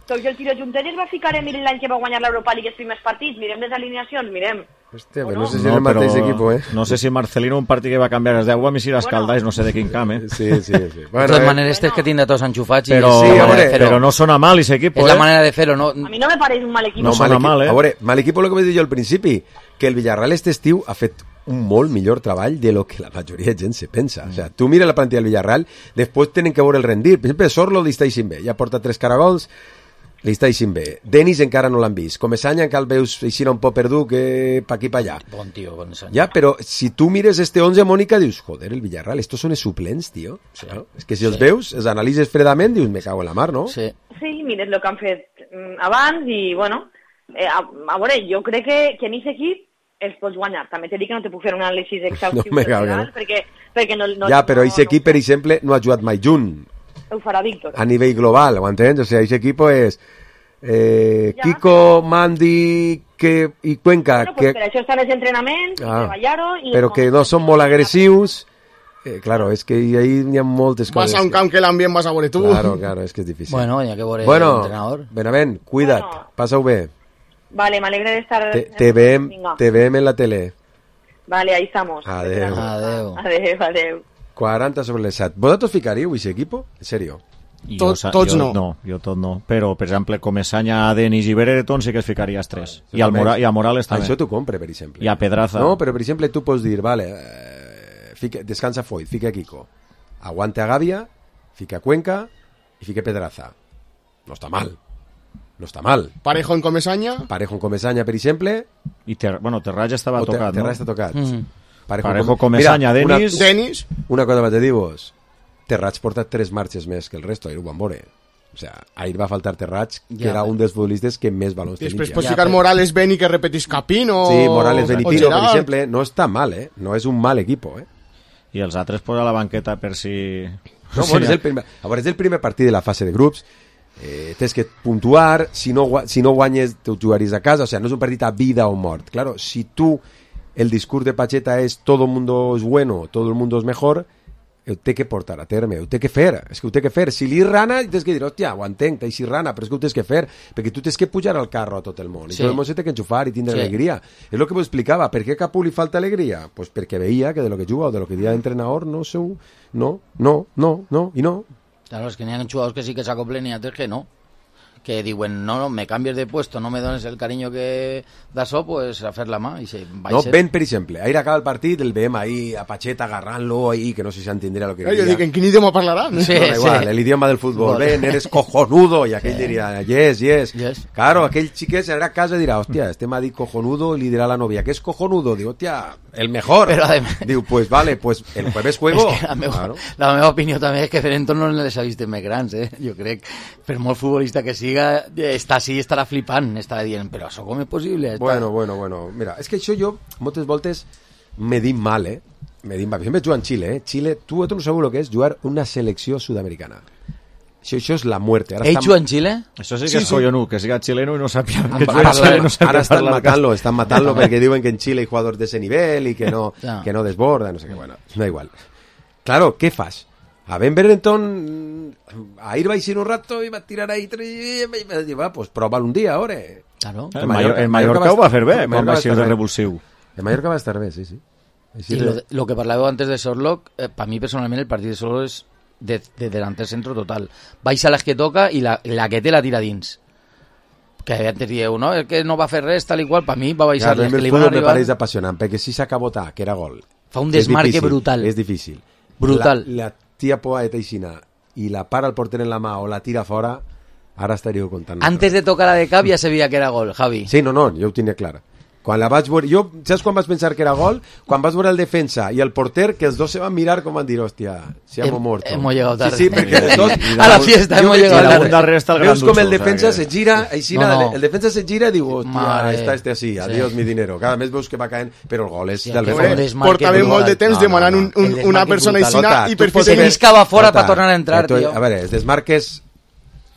Tots del tiró juntets es va ficar Emili l'any que va guanyar l'Europa League els primers partits. Mirem les alineacions, mirem. Hòstia, però no sé si no, és el mateix equip, eh? No sé si Marcelino un partit que va canviar els deu a mi si l'escaldáis, no sé de quin camp, eh? Sí, sí, sí. Bueno, de totes eh, maneres, tens que tindre tots enxufats. Però, sí, veure, però no sona mal, ese equip, eh? És la manera de fer-ho, no? A mi no me pareix un mal equip. No, no sona mal, eh? A veure, mal equip, el que vaig dir jo al principi, que el Villarreal este estiu ha fet un molt millor treball de lo que la majoria de gent se pensa. Mm. O sea, tu mira la plantilla del Villarreal, després tenen que veure el rendir. Per exemple, Sorlo li està eixint bé, ja porta tres caragols, li està eixint bé. Denis encara no l'han vist. Comesaña encara el veus eixint un poc perdut que pa aquí pa allà. Bon tio, Comesaña. Ja, però si tu mires este once, Mónica, dius, joder, el Villarreal, estos són els suplents, tio. Sí. ¿No? És que si sí. els veus, els analitzes fredament, dius, me cago en la mar, no? Sí. Sí, mires el que han fet abans i, bueno, eh, a, a veure, jo crec que, que en aquest equip els pots guanyar. També t'he dit que no te puc fer un anàlisi exhaustiu no general, no? perquè, perquè no, no... Ja, però aquest no, equip, no, per exemple, no ha jugat mai junt. Ho farà Víctor. A nivell global, ho entens? O sigui, aquest equip és... Eh, ja. Kiko, Mandy que, i Cuenca... Bueno, pues que... per això estan els entrenaments, ah, treballar-ho... Però que no són molt agressius... Eh, claro, es que ahí hi ha moltes coses. Vas a un camp que l'ambient vas a veure tu. Claro, claro, es que es difícil. Bueno, ya que veure bueno, l'entrenador. Benavent, cuida't, bueno. Passa-ho bé. Vale, me alegre de estar... Te, te, veem, te veem en la tele. Vale, ahí estamos. Adeu. Adeu. Adeu, adeu. quaranta sobre les set. ¿Vosaltres ficaríeu aquest equip? En serio? Tot, jo, tots jo, no. No, jo tot no. Però, per exemple, Comesanya, Denis i Bereton sí que es ficaria els tres. I, al Mora, I a Morales també. Això t'ho compre, per exemple. I a Pedraza. No, però per exemple tu pots dir, vale, eh, fica, descansa Foyt, fica Kiko. Aguante a Gavia, fica Cuenca i fica Pedraza. No està mal. No està mal. Parejo en Comesaña. Parejo en Comesaña, per exemple. I ter, bueno, Terrats estava ter, tocat, Terrats no? està tocat. Mm. Parejo, Parejo Comesaña, Denis. Una, Denis. Una cosa vaig a dir-vos. Terrats porta tres marxes més que el resto, ahir ho van veure. O sea, ahir va faltar Terrats, que ja, era un dels futbolistes que més balons tenia. Després pots ficar Morales, Beni, que repetís Capino. Sí, Morales, Beni, Tino, per exemple. No està mal, eh? No és un mal equipo, eh? I els altres posa a la banqueta per si... No, bueno, és el primer, a veure, és el primer partit de la fase de grups. Eh, tens que puntuar, si no, si no guanyes te jugaries a casa, o sea, no és un partit a vida o mort. Claro, si tu el discurs de Pacheta és todo el mundo es bueno, todo el mundo es mejor, ho té que portar a terme, ho té que fer, és que ho té que fer. Si li rana, tens que dir, hòstia, ho entenc, t'hi rana, però és que ho tens que fer, perquè tu tens que pujar al carro a tot el món, i sí. Tot el món se té que enxufar i tindre sí. Alegria. És el que vos explicava, per què a Capu li falta alegria? Pues perquè veia que de lo que juga o de lo que dia d'entrenador no seu, no, no, no, no, i no. Claro, es que n'hi ha jugadors que sí que s'acoplen i altres que no. Que diuen, no, no, me cambies de puesto, no me dones el cariño que da so, pues a fer la mà. I se va no, ser... Ben, per exemple, ahir acaba el partit, el veiem ahí a Pacheta agarrant-lo ahí, que no sé si s'entendrà lo que diria. Jo dic, en quin idioma parlaran? Sí, no, igual, sí. El idioma del futbol. Ben, eres cojonudo, i aquell sí. Diria, yes, yes, yes. Claro, aquell xiquet serà a casa i dirà, hòstia, este m'ha dit cojonudo, i li dirà a la novia, ¿qué es cojonudo? Diu, hòstia, el mejor. Pero además... Diu, pues vale, pues el jueves juego. Es que la, meva, claro. La meva opinió també és que Ferenton no les ha vist més grans, eh? Jo crec, per molt futbolista que siga, està així, estarà flipant, estarà dient, però això com és possible? Està... Bueno, bueno, bueno, mira, és que això jo moltes voltes me dic mal, eh? Me dic mal. Sempre jugo en Xile, eh? Xile, tu, tu no sabeu el que és jugar una selecció sud-americana. Això, això és la muerte. Ara Ell juga en Xile? Això sí que sí, és collonú, sí. Que siga xileno i no sàpia que juga en Xile. No ara estan matant-lo, estan matant-lo perquè diuen que en Xile hi ha jugadors de ese nivell i que no, no. Que no desborda, no sé què, bueno, no igual. Claro, què fas? A Ben Berenton ahir vaig ir un rato i va tirar ahí i va dir, va, pues prova'l un dia, ahora. Claro. El, el Mallorca, el Mallorca ho va fer bé, quan va ser de revulsiu. El Mallorca va estar bé, sí, sí. Y lo, de, lo que parlàveu antes de Sorlock, eh, para mí personalment el partit de Sorlock és de, de delanter centro total. Baixa les que toca i la, la que té la tira dins. Que antes dieu, no, el que no va fer res, tal i qual, para mi va baixar ja, les que li van arribar. Me pareix apassionant, perquè si s'acabota, que era gol. Fa un desmarque difícil, brutal. És difícil. Brutal. La, la tia Poa de Teixina i la para el porter en la mà o la tira fora, ara estaríeu contant. Antes de tocar la de cap ja sabia que era gol, Javi. Sí, no, no, jo ho tenia clar. Quan la vaig veure, jo, saps quan vaig pensar que era gol? Quan vas veure el defensa i el porter, que els dos se van mirar com van dir, hòstia, si hemos muerto. Hemos llegado tarde. Sí, sí, perquè de tot... A la fiesta hemos llegado tarde. Darrere està el Veus com el defensa se gira, així, no, no. el defensa se gira i diu, hòstia, està este así, adiós mi dinero. Cada mes veus que va caent, però el gol és sí, del defensa. Portava molt de temps demanant un, un, una persona aixina i per fi se lliscava fora per tornar a entrar, tio. A veure, els desmarques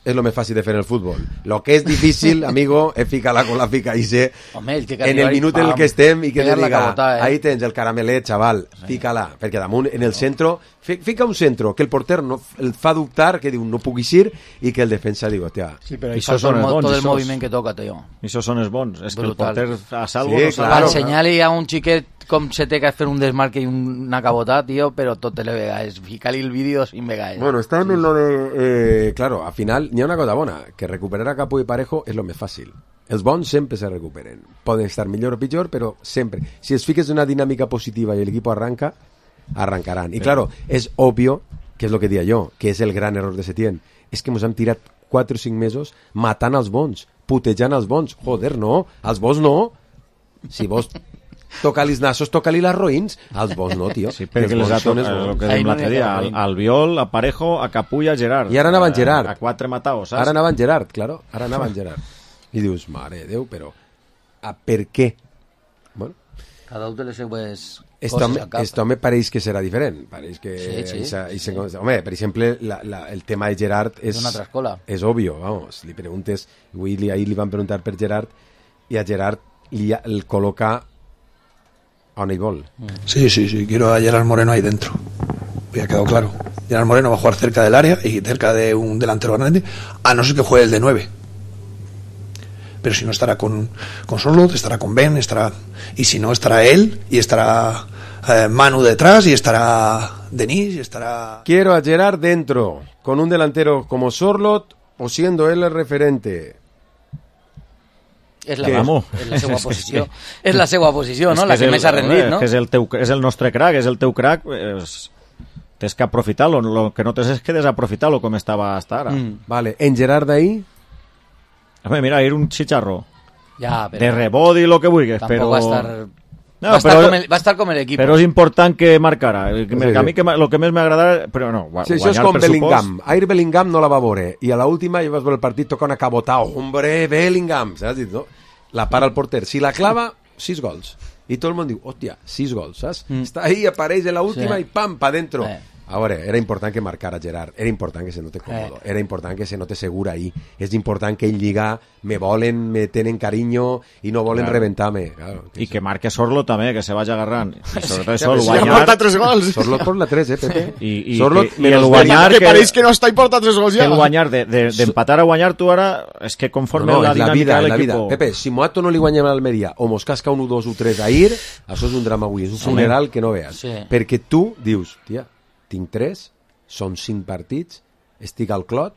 es lo más fácil de hacer en el fútbol. Lo que es difícil, amigo, es ficar-la con la fica i ser en el minut en el que estem i que te diga, cabota, eh? Ahí tens el caramelet, chaval, fica-la, perquè damunt en el centro, fica un centro que el porter no, el fa dubtar, que diu no puc eixir i que el defensa diu, hòstia. Sí, però això són els bons. Tot el moviment que toca, tio. I això són els bons. És que el porter a salvo sí, no claro, va ensenyar-li a un xiquet com se té que fer un desmarque i una cabota, tío, però tot te le vegades. Ficar-li el vídeo sin vegades. Bueno, está en lo de... Eh, claro, al final n'hi ha una cosa bona, que recuperar a Capu i Parejo és lo més fàcil. Els bons sempre se recuperen. Poden estar millor o pitjor, però sempre. Si es fiques una dinàmica positiva i el equipo arranca, arrancaran. I claro, és obvio, que és lo que dia jo, que és el gran error de Setién, és que ens hem tirat quatre o cinc mesos matant els bons, putejant els bons. Joder, no, els bons no. Si vos... toca-li els nassos, toca-li les roïns, els bons no, tio. Sí, perquè les ha tocat, el que dèiem l'altre dia, al, al Viol, a Parejo, a Capu i a Gerard. I ara anaven Gerard. A, a quatre mataos, saps? Ara anaven Gerard, claro, ara anaven Gerard. I dius, mare de Déu, però a per què? Bueno, Cada un de les seues Esto, coses al cap. esto me pareix que serà diferent. Pareix que Sí, sí, esa, sí, esa, sí. Home, per exemple, la, la, el tema de Gerard és... És una altra escola. És obvio, vamos. Li preguntes... Avui li, ahir li van preguntar per Gerard i a Gerard li, el col·loca on ell vol. Sí, sí, sí, quiero a Gerard Moreno ahí dentro. Ya ha quedado claro. Gerard Moreno va a jugar cerca del área y cerca de un delantero grande, a no ser que juegue el de nueve. Pero si no estará con, con Sorloth, estará con Ben, estará... Y si no, estará él, y estará eh, Manu detrás, y estará Denis, y estará... Quiero a Gerard dentro, con un delantero como Sorloth, o siendo él el referente. És la, Que- és la seva posició. És la seva posició, no? És La és que el- més ha rendit, eh, no? que És el, teu, és el nostre crack, és el teu crack, és... tens que aprofitar-lo, lo que no tens és que desaprofitar-lo com estava hasta ara. Mm. Vale, en Gerard d'ahir... Home, mira, era un chicharro. Ja, però... De rebot i lo que vulguis, Tampoc però... va estar... No, va, estar però- com el, va estar com l'equip. Però és important que marcara. El que, Sí, a mi sí. que, ma- lo que més m'agrada... Però no, gua- Sí, això és guanyar com per Bellingham. supòs. Ahir Bellingham no la va veure. I a l'última ja vas veure el partit, toca una cabota. Hombre, Bellingham! Saps? No? La para el porter. Si la clava, sis gols. I tot el món diu, hòstia, sis gols, saps? Mm. Està ahí, apareix en l'última Sí. i pam, pa dentro. Eh. A veure, era important que marcara Gerard, era important que se note còmodo, Eh. era important que se note segur ahí, és important que ell lliga, me volen, me tenen carinyo i no volen Claro. reventar-me. Claro, I que marque Sorlo també, que se vagi agarrant. I sobretot Sí, això, el sí, ha guanyar... portat tres gols. Sorlot por la tres, eh, Pepe? I, i, Sorlot, i, i el guanyar... Que pareix que no està i porta tres gols que ja. el guanyar, de- de- d'empatar de, a guanyar tu ara, és que conforme No, no, la és la dinàmica vida, de és la vida. l'equip... Pepe, si Moato no li guanyem a l'Almeria o mos casca un u dos u tres ahir, això és un drama avui, és un funeral que no veas. Sí. Perquè tu dius, tia, tinc tres, són cinc partits, estic al clot,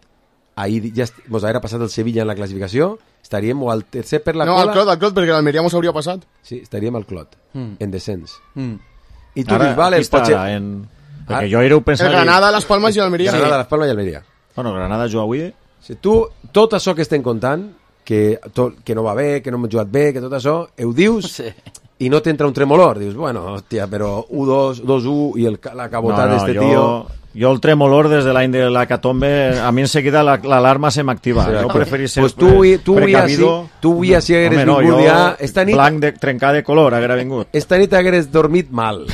ahir ja est... mos haguera passat el Sevilla en la classificació, estaríem o al tercer per la No, cola... al clot, al clot, perquè l'Almeria mos hauria passat. Sí, estaríem al clot, Mm. en descens. Mm. I tu Ara, dius, vale, aquí està, potser... ara, en... Perquè Ara- jo era un pensar... El Granada, Las Palmas i l'Almeria. Granada, Las Palmas i Almeria. Bueno, Granada juga avui... Si tu, tot això que estem contant, que, tot, que no va bé, que no hem jugat bé, que tot això, ho dius Sí. i no t'entra un tremolor. Dius, bueno, hòstia, però u dos, dos u i el, la cabotada no, no, d'este jo, tio... jo el tremolor des de l'any de la catombe, a mi enseguida la- l'alarma se m'activa. Sí. Jo preferís ser Pues tu, pre- tu, avui així, precavido. tu avui així hagueres Home, no, vingut jo ja... Esta nit, blanc de, trencar de color haguera vingut. esta nit hagueres dormit mal.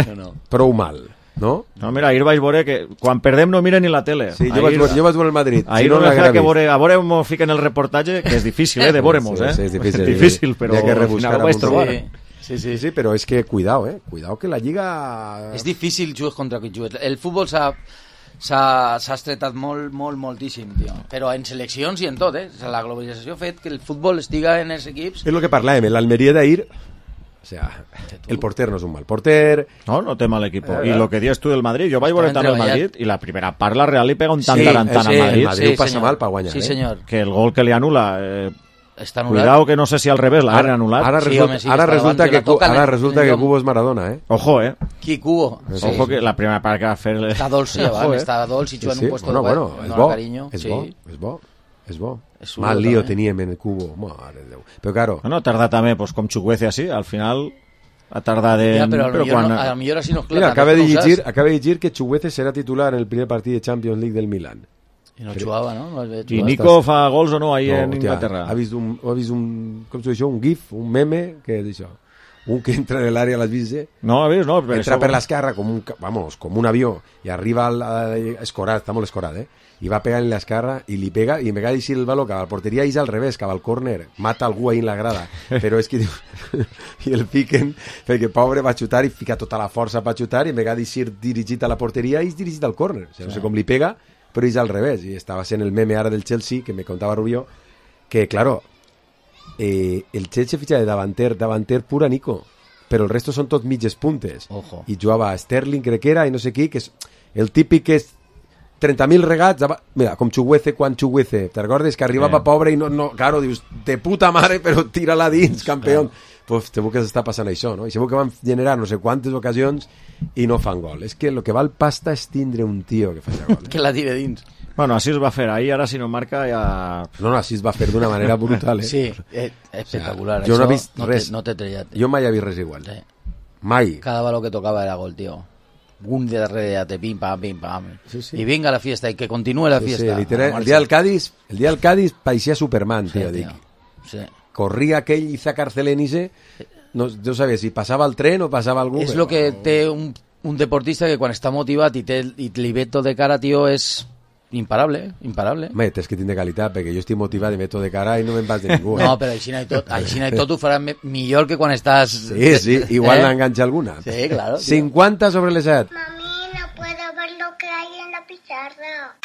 No, no. Prou mal, no? No, mira, ahir vaig veure que quan perdem no miren ni la tele. Sí, jo, vaig, veure- jo vaig veure el Madrid. Ahir si no, no no me l'haguera fa que vist. veure, a veure m'ho fiquen el reportatge, que és difícil, eh, de veure-mos, Sí, eh? sí, és difícil, difícil, però hi ha que al rebuscar final ho vaig amb un trobar. Sí. Sí, sí. Sí, sí, però és que, cuidao, eh? Cuidao que la Lliga... És difícil jugar contra qui jugues. El futbol s'ha s'ha s'ha estretat molt, molt, moltíssim, tio. Però en seleccions i en tot, eh? O sigui, la globalització ha fet que el futbol estiga en els equips. És el que parlàvem, l'Almeria d'ahir... O sea, el porter no és un mal porter... No, no té mal equip. Eh, I lo que dius tu del Madrid, jo vaig veure Estaven també el treballant. Madrid i la primera part la Real li pega un tant Sí, tarantant sí, al Madrid. el Madrid ho passa senyor. mal per guanyar, Sí, eh? senyor. Que el gol que li anula... Eh, Està anul·lat. cuidao que no sé si al revés l'han anul·lat. Ara Sí, resulta, home, sí, ara està resulta davant, que, que la toca ara en- resulta en que lloc. Cubo és Maradona, eh? Ojo, eh? Qui, Cubo? Sí. Ojo que la primera part que va fer... Està dolç, sí, Ojo, abans, eh? està dolç i juga en un puesto bueno, de bueno, web, és dona bo, carinyo. és Sí. bo, és bo, és bo. És un Mal bo, lío també. teníem en el Cubo, mare de Déu. Però claro, No, no, tarda també, pues, com Chukwueze així, al final ha tardat en... Ja, però, però millor quan... no, a lo millor així no esclata. mira, acaba de no ho llegir, saps. acaba de llegir que Chukwueze serà titular en el primer partit de Champions League del Milan. I no jugava, no? no I Nico fa gols o no ahí en hòstia, Inglaterra? Ha vist un, ha vist un, com s'ho diu això, un gif, un meme, que és això? Un que entra en l'àrea, l'has vist, eh? No, has vist? No, per Entra això- per l'esquerra com un, ca- vamos, com un avió i arriba al, a, escorat, està molt escorat, eh? I va pegar en l'esquerra i li pega i en vegada d'aixir el baló cap a la porteria és al revés, cap al córner, mata algú ahí en la grada, però és que diu, i el fiquen perquè pobre va xutar i fica tota la força per xutar i en vegada d'aixir dirigit a la porteria és dirigit al córner, o sigui, no sé com li pega però és al revés, i estava sent el meme ara del Chelsea que me contava Rubió que claro, eh, el Chelsea fitxa de davanter, davanter pura Nico, però el resto són tot mitges puntes. Ojo. I jugava Sterling, crec que era, i no sé qui, que és el típic que és trenta mil regats, mira, com Chukwueze quan Chukwueze, te recordes que arribava Sí. pobre i no, no, claro, dius, de puta mare, però tira-la dins, campió. Pues segur que s'està passant això, no? I segur que van generar no sé quantes ocasions i no fan gol. És que el que val pasta és tindre un tio que faci gol. Eh? Que la tire dins. Bueno, així es va fer. Ahir, ara, si no marca, ja... No, no, així es va fer d'una manera brutal, eh? Sí, eh, espectacular. O sea, jo no he Això vist no res. Te, no t'he trellat. Jo mai he vist res igual. Sí. Mai. Cada baló que tocava era gol, tío. Un de darrere ja te pim, pam, pim, pam. Sí, sí. I vinga la fiesta, i que continue la Sí, fiesta. sí, literal, el dia del Cádiz, el dia del Cádiz parecía Superman, Sí, tío, tío. dic. Sí. Corría aquell Isaac Arcelenice no, no sabia si passava el tren o passava algú. És el que té un, un deportista que quan està motivat i, té, i li ve tot de cara, tio, és imparable, eh? Imparable. Home, tens que tindre qualitat, perquè jo estic motivat i me tot de cara i no me'n vas de ningú. Eh? No, però així no i tot, així no i tot ho faràs me, millor que quan estàs... Sí, sí, igual eh? n'enganxa alguna. Sí, claro. Tío. cincuenta sobre les set. Mami, no puedo ver lo que hay en la pizarra.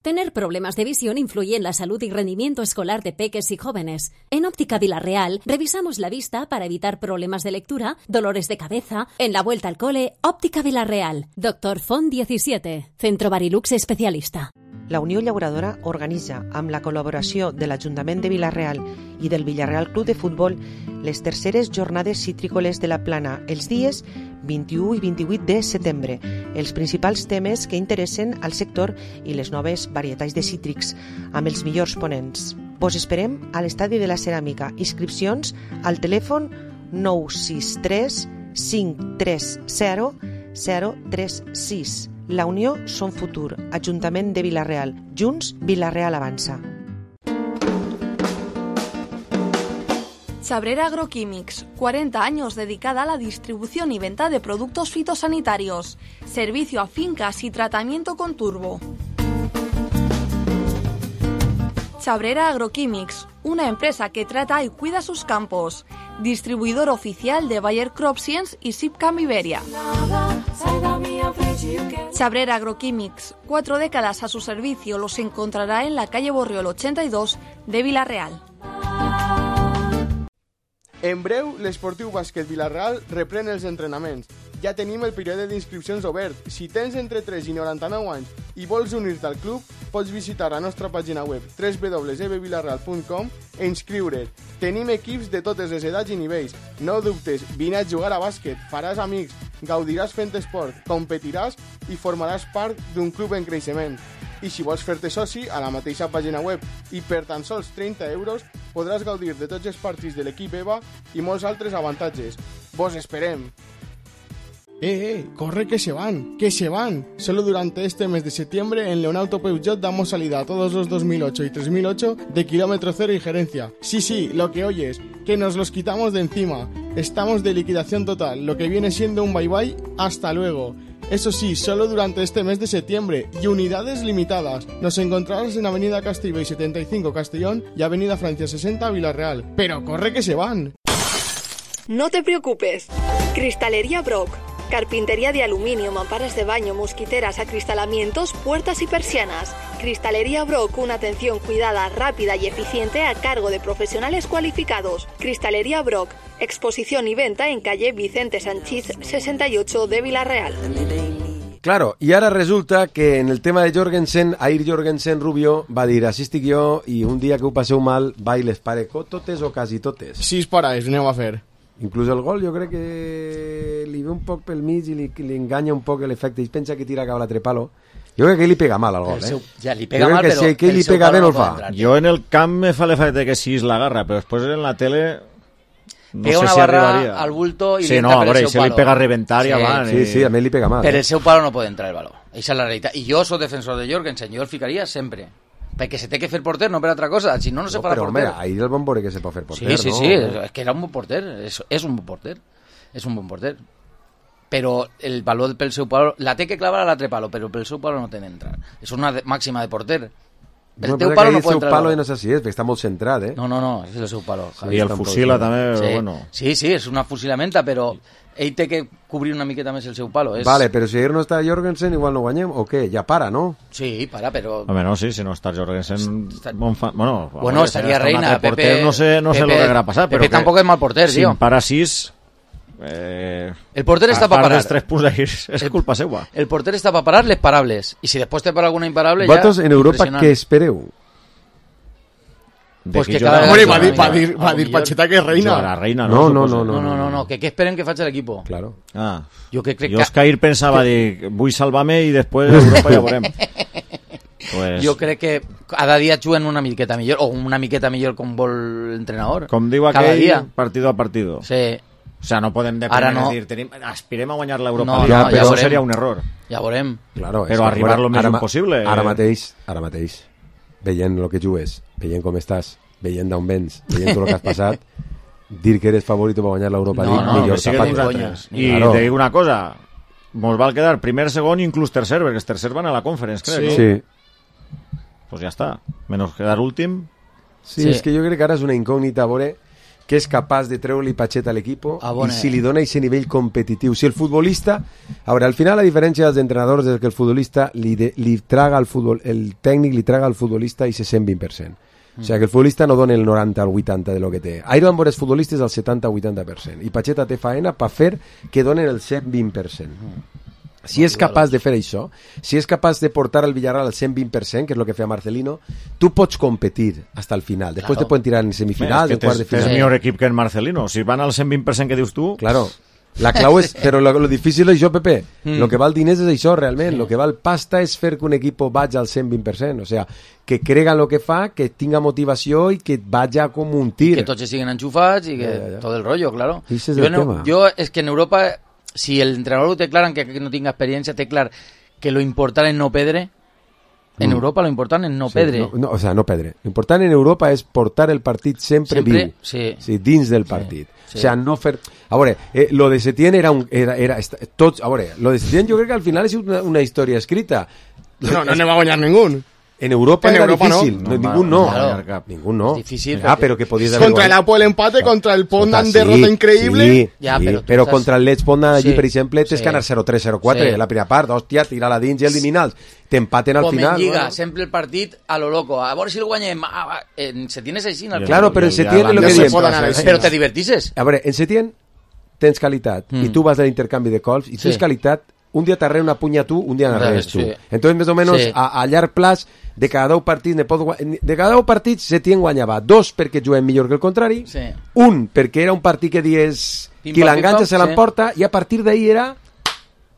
Tener problemas de visión influye en la salud y rendimiento escolar de peques y jóvenes. En Óptica Vilarreal revisamos la vista para evitar problemas de lectura, dolores de cabeza. En la vuelta al cole, Óptica Vilarreal. Doctor Font diecisiete, Centro Barilux especialista. La Unió Llauradora organitza, amb la col·laboració de l'Ajuntament de Vila-real i del Villarreal Club de Futbol, les terceres jornades citrícoles de la Plana, els dies vint-i-u i vint-i-vuit de setembre. Els principals temes que interessen al sector i les noves varietats de cítrics, amb els millors ponents. Vos esperem a l'Estadi de la Ceràmica. Inscripcions al telèfon nou sis tres cinc tres zero zero tres sis. La Unió Son Futur, Ajuntament de Vila-real. Junts, Vila-real avança. Chabrera Agroquímics, cuarenta años dedicada a la distribución y venta de productos fitosanitarios, servicio a fincas y tratamiento con turbo. Chabrera Agroquímics, una empresa que trata y cuida sus campos. Distribuidor oficial de Bayer Crop Science y Sipcam Iberia. Chabrera Agroquímics, cuatro décadas a su servicio, los encontrará en la calle Borriol ochenta y dos de Vila-real. En breu, l'Esportiu Bàsquet Vila-real reprèn els entrenaments. Ja tenim el període d'inscripcions obert. Si tens entre tres i noranta-nou anys i vols unir-te al club, pots visitar la nostra pàgina web w w w punt e b vilarreal punt com e inscriure't. Tenim equips de totes les edats i nivells. No dubtes, vine a jugar a bàsquet, faràs amics, gaudiràs fent esport, competiràs i formaràs part d'un club en creixement. I si vols fer-te soci, a la mateixa pàgina web i per tan sols trenta euros podràs gaudir de tots els partits de l'equip EVA i molts altres avantatges. Vos esperem! Eh, eh, corre que se van, que se van. Solo durante este mes de septiembre en Leonauto Peugeot damos salida a todos los dos mil ocho y tres mil ocho de kilómetro cero y gerencia. Sí, sí, lo que oyes, que nos los quitamos de encima. Estamos de liquidación total, lo que viene siendo un bye bye, hasta luego. Eso sí, solo durante este mes de septiembre y unidades limitadas. Nos encontrarás en Avenida Castellbell setenta y cinco Castellón y Avenida Francia sesenta Vila-real. Pero corre que se van. No te preocupes. Cristalería Brock. Carpintería de aluminio, mamparas de baño, mosquiteras, acristalamientos, puertas y persianas. Cristalería Brock, una atención cuidada, rápida y eficiente a cargo de profesionales cualificados. Cristalería Brock, exposición y venta en calle Vicente Sanchís sesenta y ocho de Vila-real. Claro, i ara resulta que en el tema de Jorgensen, Air Jorgensen Rubio va dir, així estic jo i un dia que ho passeu mal, va i les pare totes o quasi totes. Sis pares, aneu a fer. Inclús el gol jo crec que li ve un poc pel mig i li, li enganya un poc l'efecte i pensa que tira cap a l'altre palo. Jo crec que li pega mal al gol, eh? Seu, ja, li pega jo mal, crec que però... si que li pega bé no el fa. Entrar, jo en el camp me fa l'efecte que sí és la garra, però després en la tele... No pega sé una si barra arribaria. Al bulto i sí, li no, entra per veure, el seu se palo. li pega a reventar i sí, avant. Sí, sí, a mi li pega mal. Per eh? el seu palo no pot entrar el baló. Això és la realitat. I jo soc defensor de Jorgensen, jo el ficaria sempre. Perquè se té que fer porter, no per altra cosa. Si no, no se no, farà però, porter. Home, ahir el bon veure que se pot fer porter, sí, sí, no? Sí, sí, és que era un bon porter. És, és un bon porter. És un bon porter. Però el valor pel seu palo... La té que clavar a l'altre palo, però pel seu palo no té d'entrar. És una de, màxima de porter. El no, teu palo no el pot seu entrar. palo no és així, és, perquè està molt centrat, eh? No, no, no, és el seu palo. I el fusila també, sí. bueno... Sí, sí, és una fusilamenta, però ell té que cobrir una miqueta més el seu palo. És... Vale, però si ahir no està Jorgensen, igual no guanyem, o què? Ja para, no? Sí, para, però... Home, no, sí, si no està Jorgensen... Està... Fa... Bueno, bueno veure, estaria reina, Pepe... Porter, no sé, no Pepe, sé lo que haurà passat, però Pepe que... tampoc és mal porter, si tio. Si para sis... Eh... El porter està per parar. A part dels tres punts d'ahir, és el... culpa seva. El porter està per parar les parables, i si després té per alguna imparable, Vosaltres ja... en Europa què espereu? Pues que cada Hombre, va dir, va dir, va dir Pacheta que és reina. La reina, no, no, no, no, no, no, no, no, que què esperen que faci l'equip? Claro. Ah. Jo que crec jo és que ahir pensava que... dir, vull salvar-me i després Europa ja veurem. Pues... Jo crec que cada dia juguen una miqueta millor, o una miqueta millor com vol l'entrenador. Com diu aquell, dia. Partido a partido. Sí. O sea, no podem dependre no. de dir, tenim, aspirem a guanyar l'Europa no, League, no, però ja això seria un error. Ja veurem. Claro, però arribar lo més ara, impossible. Ara mateix, ara mateix, veient el que jugues, veient com estàs, veient d'on vens, veient tot el que has passat, dir que eres favorito per guanyar l'Europa no, League, no, millor sí tapat. I claro. Te dic una cosa, mos val quedar primer, segon i inclús tercer, perquè els tercers van a la Conference, crec. Sí. sí. Pues ja està. Menys quedar últim. Sí, sí, és que jo crec que ara és una incògnita a veure que és capaç de treure-li Pacheta a l'equip ah, bon, i si li dona aquest nivell competitiu. Si el futbolista... A veure, al final la diferència dels entrenadors és que el futbolista li, de, li traga al futbol, el tècnic li traga al futbolista i se cent vint per cent. Mm. O sigui, que el futbolista no dona el noranta al vuitanta de lo que té. Ahir van veure els futbolistes al setanta vuitanta per cent i Pacheta té faena per fer que donen el cent vint per cent. Mm. Si és capaç de fer això, si és capaç de portar el Villarreal al cent vint per cent, que és el que feia Marcelino, tu pots competir fins al final. Després claro. Te poden tirar en semifinals, en quart de final. És millor equip que en Marcelino. Si van al cent vint per cent que dius tu... Claro. La clau és... Però lo, lo difícil és això, Pepe. Mm. Lo que val diners és això, realment. Sí. Lo que val pasta és fer que un equip vagi al cent vint per cent. O sea, que crega en lo que fa, que tinga motivació i que vagi com un tir. Que tots siguen enxufats i que ja, ja, ja. Tot el rollo, claro. Ese és el jo, tema. Jo, és que en Europa... Si el entrenador té clar, que no tinga experiència, té clar que lo important és no perdre. En mm. Europa lo important és no sí, perdre. No, no, o sea, no perdre. Lo important en Europa és portar el partit sempre, sempre viu. Sí. Sí, dins del partit. Sí, sí. O sea, no fer... A veure, eh, lo de Setién era un... Era, era, tots, a veure, lo de Setién jo crec que al final és una, una història escrita. No, no ne va guanyar ningú. En Europa en era Europa difícil, no. No, ningú no. Claro. Ningú no. Es difícil. Ah, pero que podías haber contra el Apo el empate, contra el Ponda en derrota sí, increïble. Sí, ja, sí, però, però estàs... contra el Leeds Ponda allí, sí, per exemple, tens sí. que anar zero tres zero quatre sí. La primera part, hòstia, tirar la dins i eliminar-los. T'empaten al Com final. Com en Lliga, bueno. sempre el partit a lo loco. A veure si el guanyem. Ah, en Setién és així. Claro, però en Setién és el que diem. Però te divertisses. A veure, en Setién tens qualitat mm. i tu vas a l'intercanvi de cols i tu tens sí. qualitat. Un dia t'arreu una punya tu, un dia n'arreus tu. Sí. Entonces, més o menos, sí. a, a llarg plaç, de cada deu partits, de cada deu partits, Setién guanyava dos perquè juguem millor que el contrari, sí. un perquè era un partit que dies qui l'enganxa se l'emporta, sí. I a partir d'ahir era...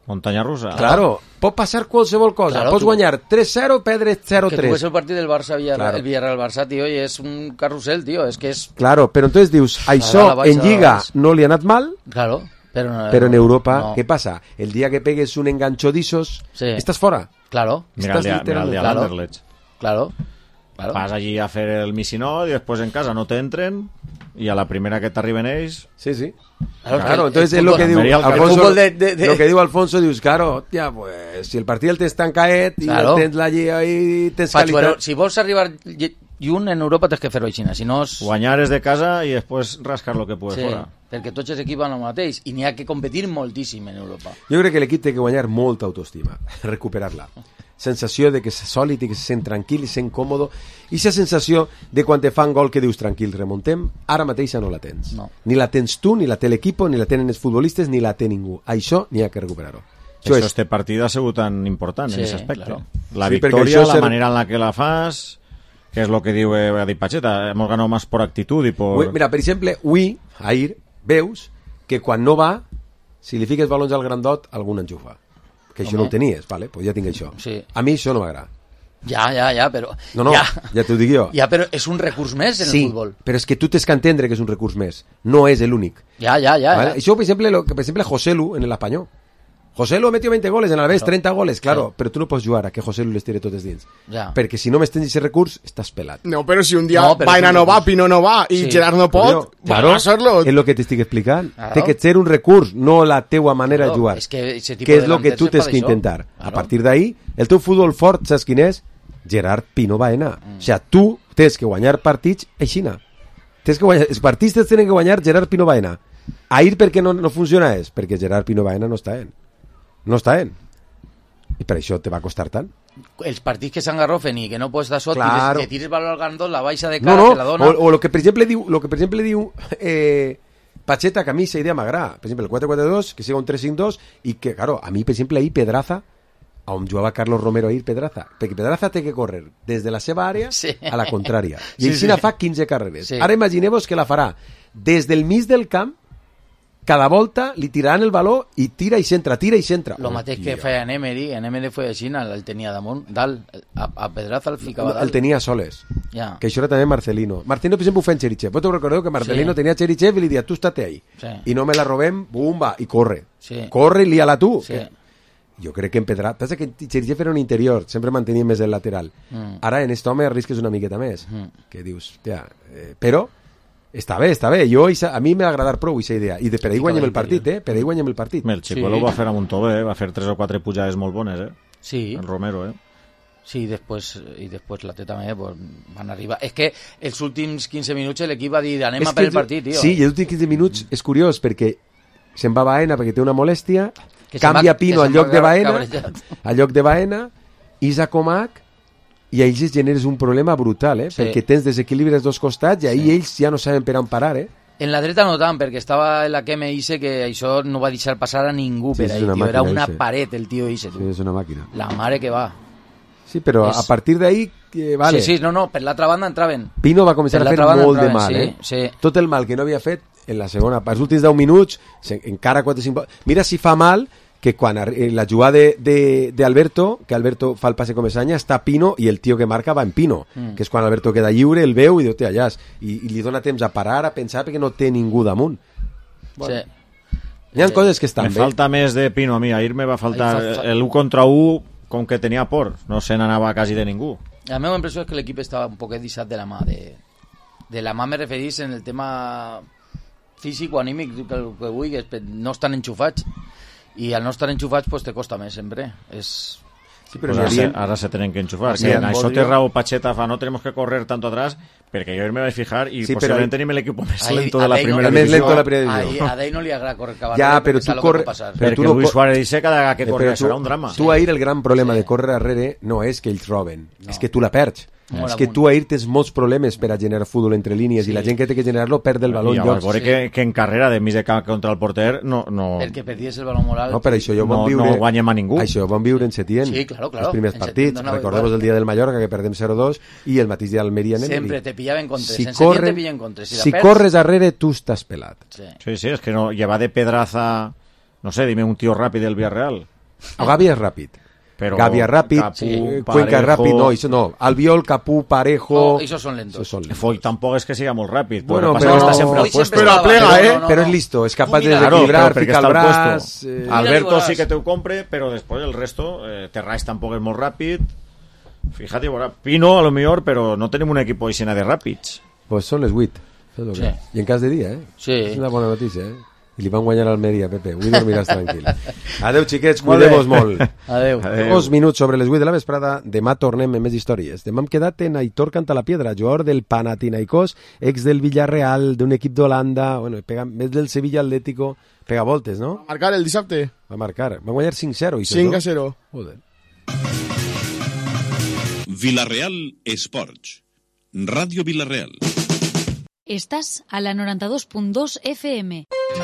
Muntanya russa. Claro, pot passar qualsevol cosa. Claro, Pots tu... guanyar tres zero, perdre zero tres. Que tu ves el partit del Barça, Villarreal, claro. El Villarreal-Barça, tio, i és un carrusel, tio, és que és... Claro, però entonces dius, això en Lliga no li ha anat mal... Claro. Pero, no, pero en Europa, no. ¿qué pasa? El día que pegues un engancho de esos, sí. estás fuera. Claro. Mira el día, mira el día claro. Anderlecht. Claro. claro. Vas allí a hacer el misinó y después en casa no te entren y a la primera que t'arriben ells... Sí, sí. Claro, claro el, entonces el es lo que diu Alfonso, de, de, de... lo que diu Alfonso, dius, claro, hòstia, pues, si el partit el tens tan caet i claro. El tens allí ahí, tens Faig, qualitat... Bueno, si vols arribar lluny en Europa tens que fer-ho així, si no és... Guanyar és de casa i després rascar lo que puedes sí. fora. Perquè tots els equips van el mateix i n'hi ha que competir moltíssim en Europa. Jo crec que l'equip té que guanyar molta autoestima, recuperar-la. Sensació de que és sòlid i que se sent tranquil i se sent còmodo, i aquesta sensació de quan te fan gol que dius tranquil, remontem, ara mateixa no la tens. No. Ni la tens tu, ni la té l'equip, ni la tenen els futbolistes, ni la té ningú. Això n'hi ha que recuperar-ho. Això, això és... este partit ha sigut tan important sí, en aquest aspecte. Claro. La sí, victòria, la ser... manera en la que la fas, que és lo que diu eh, Adi Pacheta, hemos ganado más por actitud y por... Mira, per exemple, avui, ahir, veus que quan no va, si li fiques balons al grandot, algun enxufa. Que això Home. No ho tenies, vale? Pues ja tinc això. Sí. A mi això no m'agrada. Ja, ja, ja, però... No, no, ja, ja t'ho dic jo. Ja, però és un recurs més en sí, el futbol. Però és que tu tens que entendre que és un recurs més. No és l'únic. Ja, ja, ja. ¿Vale? ja. Això, per exemple, lo, per exemple, Joselu en l'Espanyol. Joselu ha metido veinte goles, en Alavés treinta goles, claro, sí. Però tu no pots jugar a que Joselu les tire totes dins. Ja. Perquè si no m'estens aquest recurs, estàs pelat. No, però si un dia no, Baena no va, Pino no va, i sí. Gerard no pot, claro, va a ser-lo. És el que t'estic explicant. Claro. Té que ser un recurs, no la teua manera claro, de jugar. Es que, que és el que tu tens que intentar. Claro. A partir d'ahí, el teu futbol fort, saps quin és? Gerard Pino Baena. Mm. O sigui, tu tens que guanyar partits aixina. Tens que guanyar, els partits tenen que guanyar Gerard Pino Baena. Ahir per què no, no funciona és? Perquè Gerard Pino Baena no està en. No està en. I per això te va costar tant. Els partits que s'engarrofen i que no pots dar sot, claro. que tires valor al gandol, la baixa de cara, no, no. te la dona... O, o lo que per exemple diu, lo que per exemple diu eh, Pacheta, que a mi esa idea m'agrada. Per exemple, el quatre quatre dos, que siga un tres cinc dos, i que, claro, a mi, per exemple, ahir Pedraza, on jugava Carlos Romero ahir Pedraza, perquè Pedraza té que córrer des de la seva àrea sí. A la contrària. I sí, així sí. Fa quinze carreres. Sí. Ara imagineu-vos que la farà des del mig del camp, cada volta li tiraran el baló i tira i centra, tira i centra. Lo mateix que feia en Emery, en Emery feia així, el tenia damunt, dalt, a, a Pedraza el ficava dalt. El tenia soles, ja. Que això era també Marcelino. Marcelino, per exemple, ho feia en Cherichev. Vos te recordeu que Marcelino sí. Tenia Cherichev i li dia, tu estate ahí. Sí. I no me la robem, bumba, i corre. Sí. Corre i lía-la tu. Sí. Que... Jo crec que en Pedraza... Pensa que Cherichev era un interior, sempre mantenia més el lateral. Mm. Ara en aquest home arrisques una miqueta més. Mm. Que dius, ja... Eh, però Està bé, està bé. Jo, a mi m'ha agradat prou aquesta idea. I de, per ahir guanyem el partit, eh? Per ahir guanyem el partit. El Chicuelo sí. va fer a Montové, va fer tres o quatre pujades molt bones, eh? Sí. El Romero, eh? Sí, després, i després la T també pues, van arribar. És que els últims quinze minuts l'equip va dir anem a per el partit, tio. Sí, i els últims quinze minuts és curiós perquè se'n va Baena perquè té una molèstia, que canvia va, Pino al lloc de Baena, al lloc de Baena, Isa Comac, i a ells es generes un problema brutal, eh? Sí. Perquè tens desequilibri als dos costats i ahir sí. ells ja no saben per on parar, eh? En la dreta no tant, perquè estava en la que me hice que això no va deixar passar a ningú sí, per ahí, tio. Era una Ise. paret el tio Ise, tu. Sí, és una màquina. La mare que va. Sí, però és... a partir d'ahí, eh, vale. Sí, sí, no, no, per l'altra banda entraven. Pino va començar a fer molt de mal, sí, eh? Sí. Tot el mal que no havia fet en la segona part. Els últims deu minuts, encara quatre cinc... Mira si fa mal que quan la jugada d'Alberto, que Alberto fa el passe com Esanya, està Pino i el tio que marca va en Pino, mm. que és quan Alberto queda lliure, el veu i diu, allà, i, i li dona temps a parar, a pensar, perquè no té ningú damunt. Bueno. Sí. Hi ha eh, coses que estan me bé. Me falta més de Pino a mi, ahir me va faltar fa... el u contra u, com que tenia por, no se n'anava quasi de ningú. La meva impressió és que l'equip estava un poquet deixat de la mà, de, de la mà me referís en el tema físic o anímic, que, que vulguis, no estan enxufats. I al no estar enxufats pues te costa més sempre és... Sí, però pues ara, se, ara se tenen que enxufar sí, que en això té raó Pacheta fa no tenemos que correr tanto atrás perquè jo me vaig fijar i sí, posiblement tenim l'equip més lento de la primera divisió a Dei no li agrada correr cap ja, però tu corre, perquè tu no Luis Suárez dice cada que corre serà un drama tu ahir el gran problema sí. de córrer darrere no és que ells roben, no. és que tu la perds no. és que tu ahir tens molts problemes per a generar futbol entre línies sí. i la gent que té que generar-lo perd el baló en llocs. Sí. Que, que en carrera de mig de camp contra el porter no, no... el que perdies el baló moral no, per això jo no, viure, no guanyem a ningú això vam viure en Setién sí, claro, claro. els primers en partits, no recordem el dia del Mallorca que perdem zero dos i el mateix dia d'Almeria sempre te pillaven contra si, en corre, te pillen contra si, si corres darrere tu estàs pelat sí, sí, sí és que no, lleva de pedraza no sé, dime un tío rápido del Villarreal o Gavi és ràpid Pero Gavia ràpid, Capú, eh, Cuenca ràpid, no, això no. Albiol, Capú, Parejo... Oh, esos son lentos. Son lentos. Foy tampoc és que siga molt ràpid. Bueno, però... Està sempre al puesto. Però aplega, eh? No, no, no. Però és listo, és capaç de desequilibrar, ficar el braç... Eh... Alberto sí que te ho compre, però després el resto, eh, Terraix tampoc és molt ràpid. Fíjate, Pino a lo millor, però no tenim un equip així de ràpids. Pues són les vuit. Sí. I en cas de dia, eh? Sí. És una bona notícia, eh? I li van guanyar a Almeria, Pepe. Avui dormiràs tranquil. Adeu, xiquets, cuideu-vos molt. Adeu. Adeu. Dos minuts sobre les vuit de la vesprada. Demà tornem amb més històries. Demà hem quedat en Aitor Cantalapiedra, jugador del Panathinaikos, ex del Villarreal, d'un equip d'Holanda, bueno, pega, més del Sevilla Atlético, pega voltes, no? Va marcar el dissabte. Va marcar. Va guanyar cinc zero. cinc a zero. Joder. Villarreal Esports. Radio Villarreal. Estás a la noranta dos punt dos F M.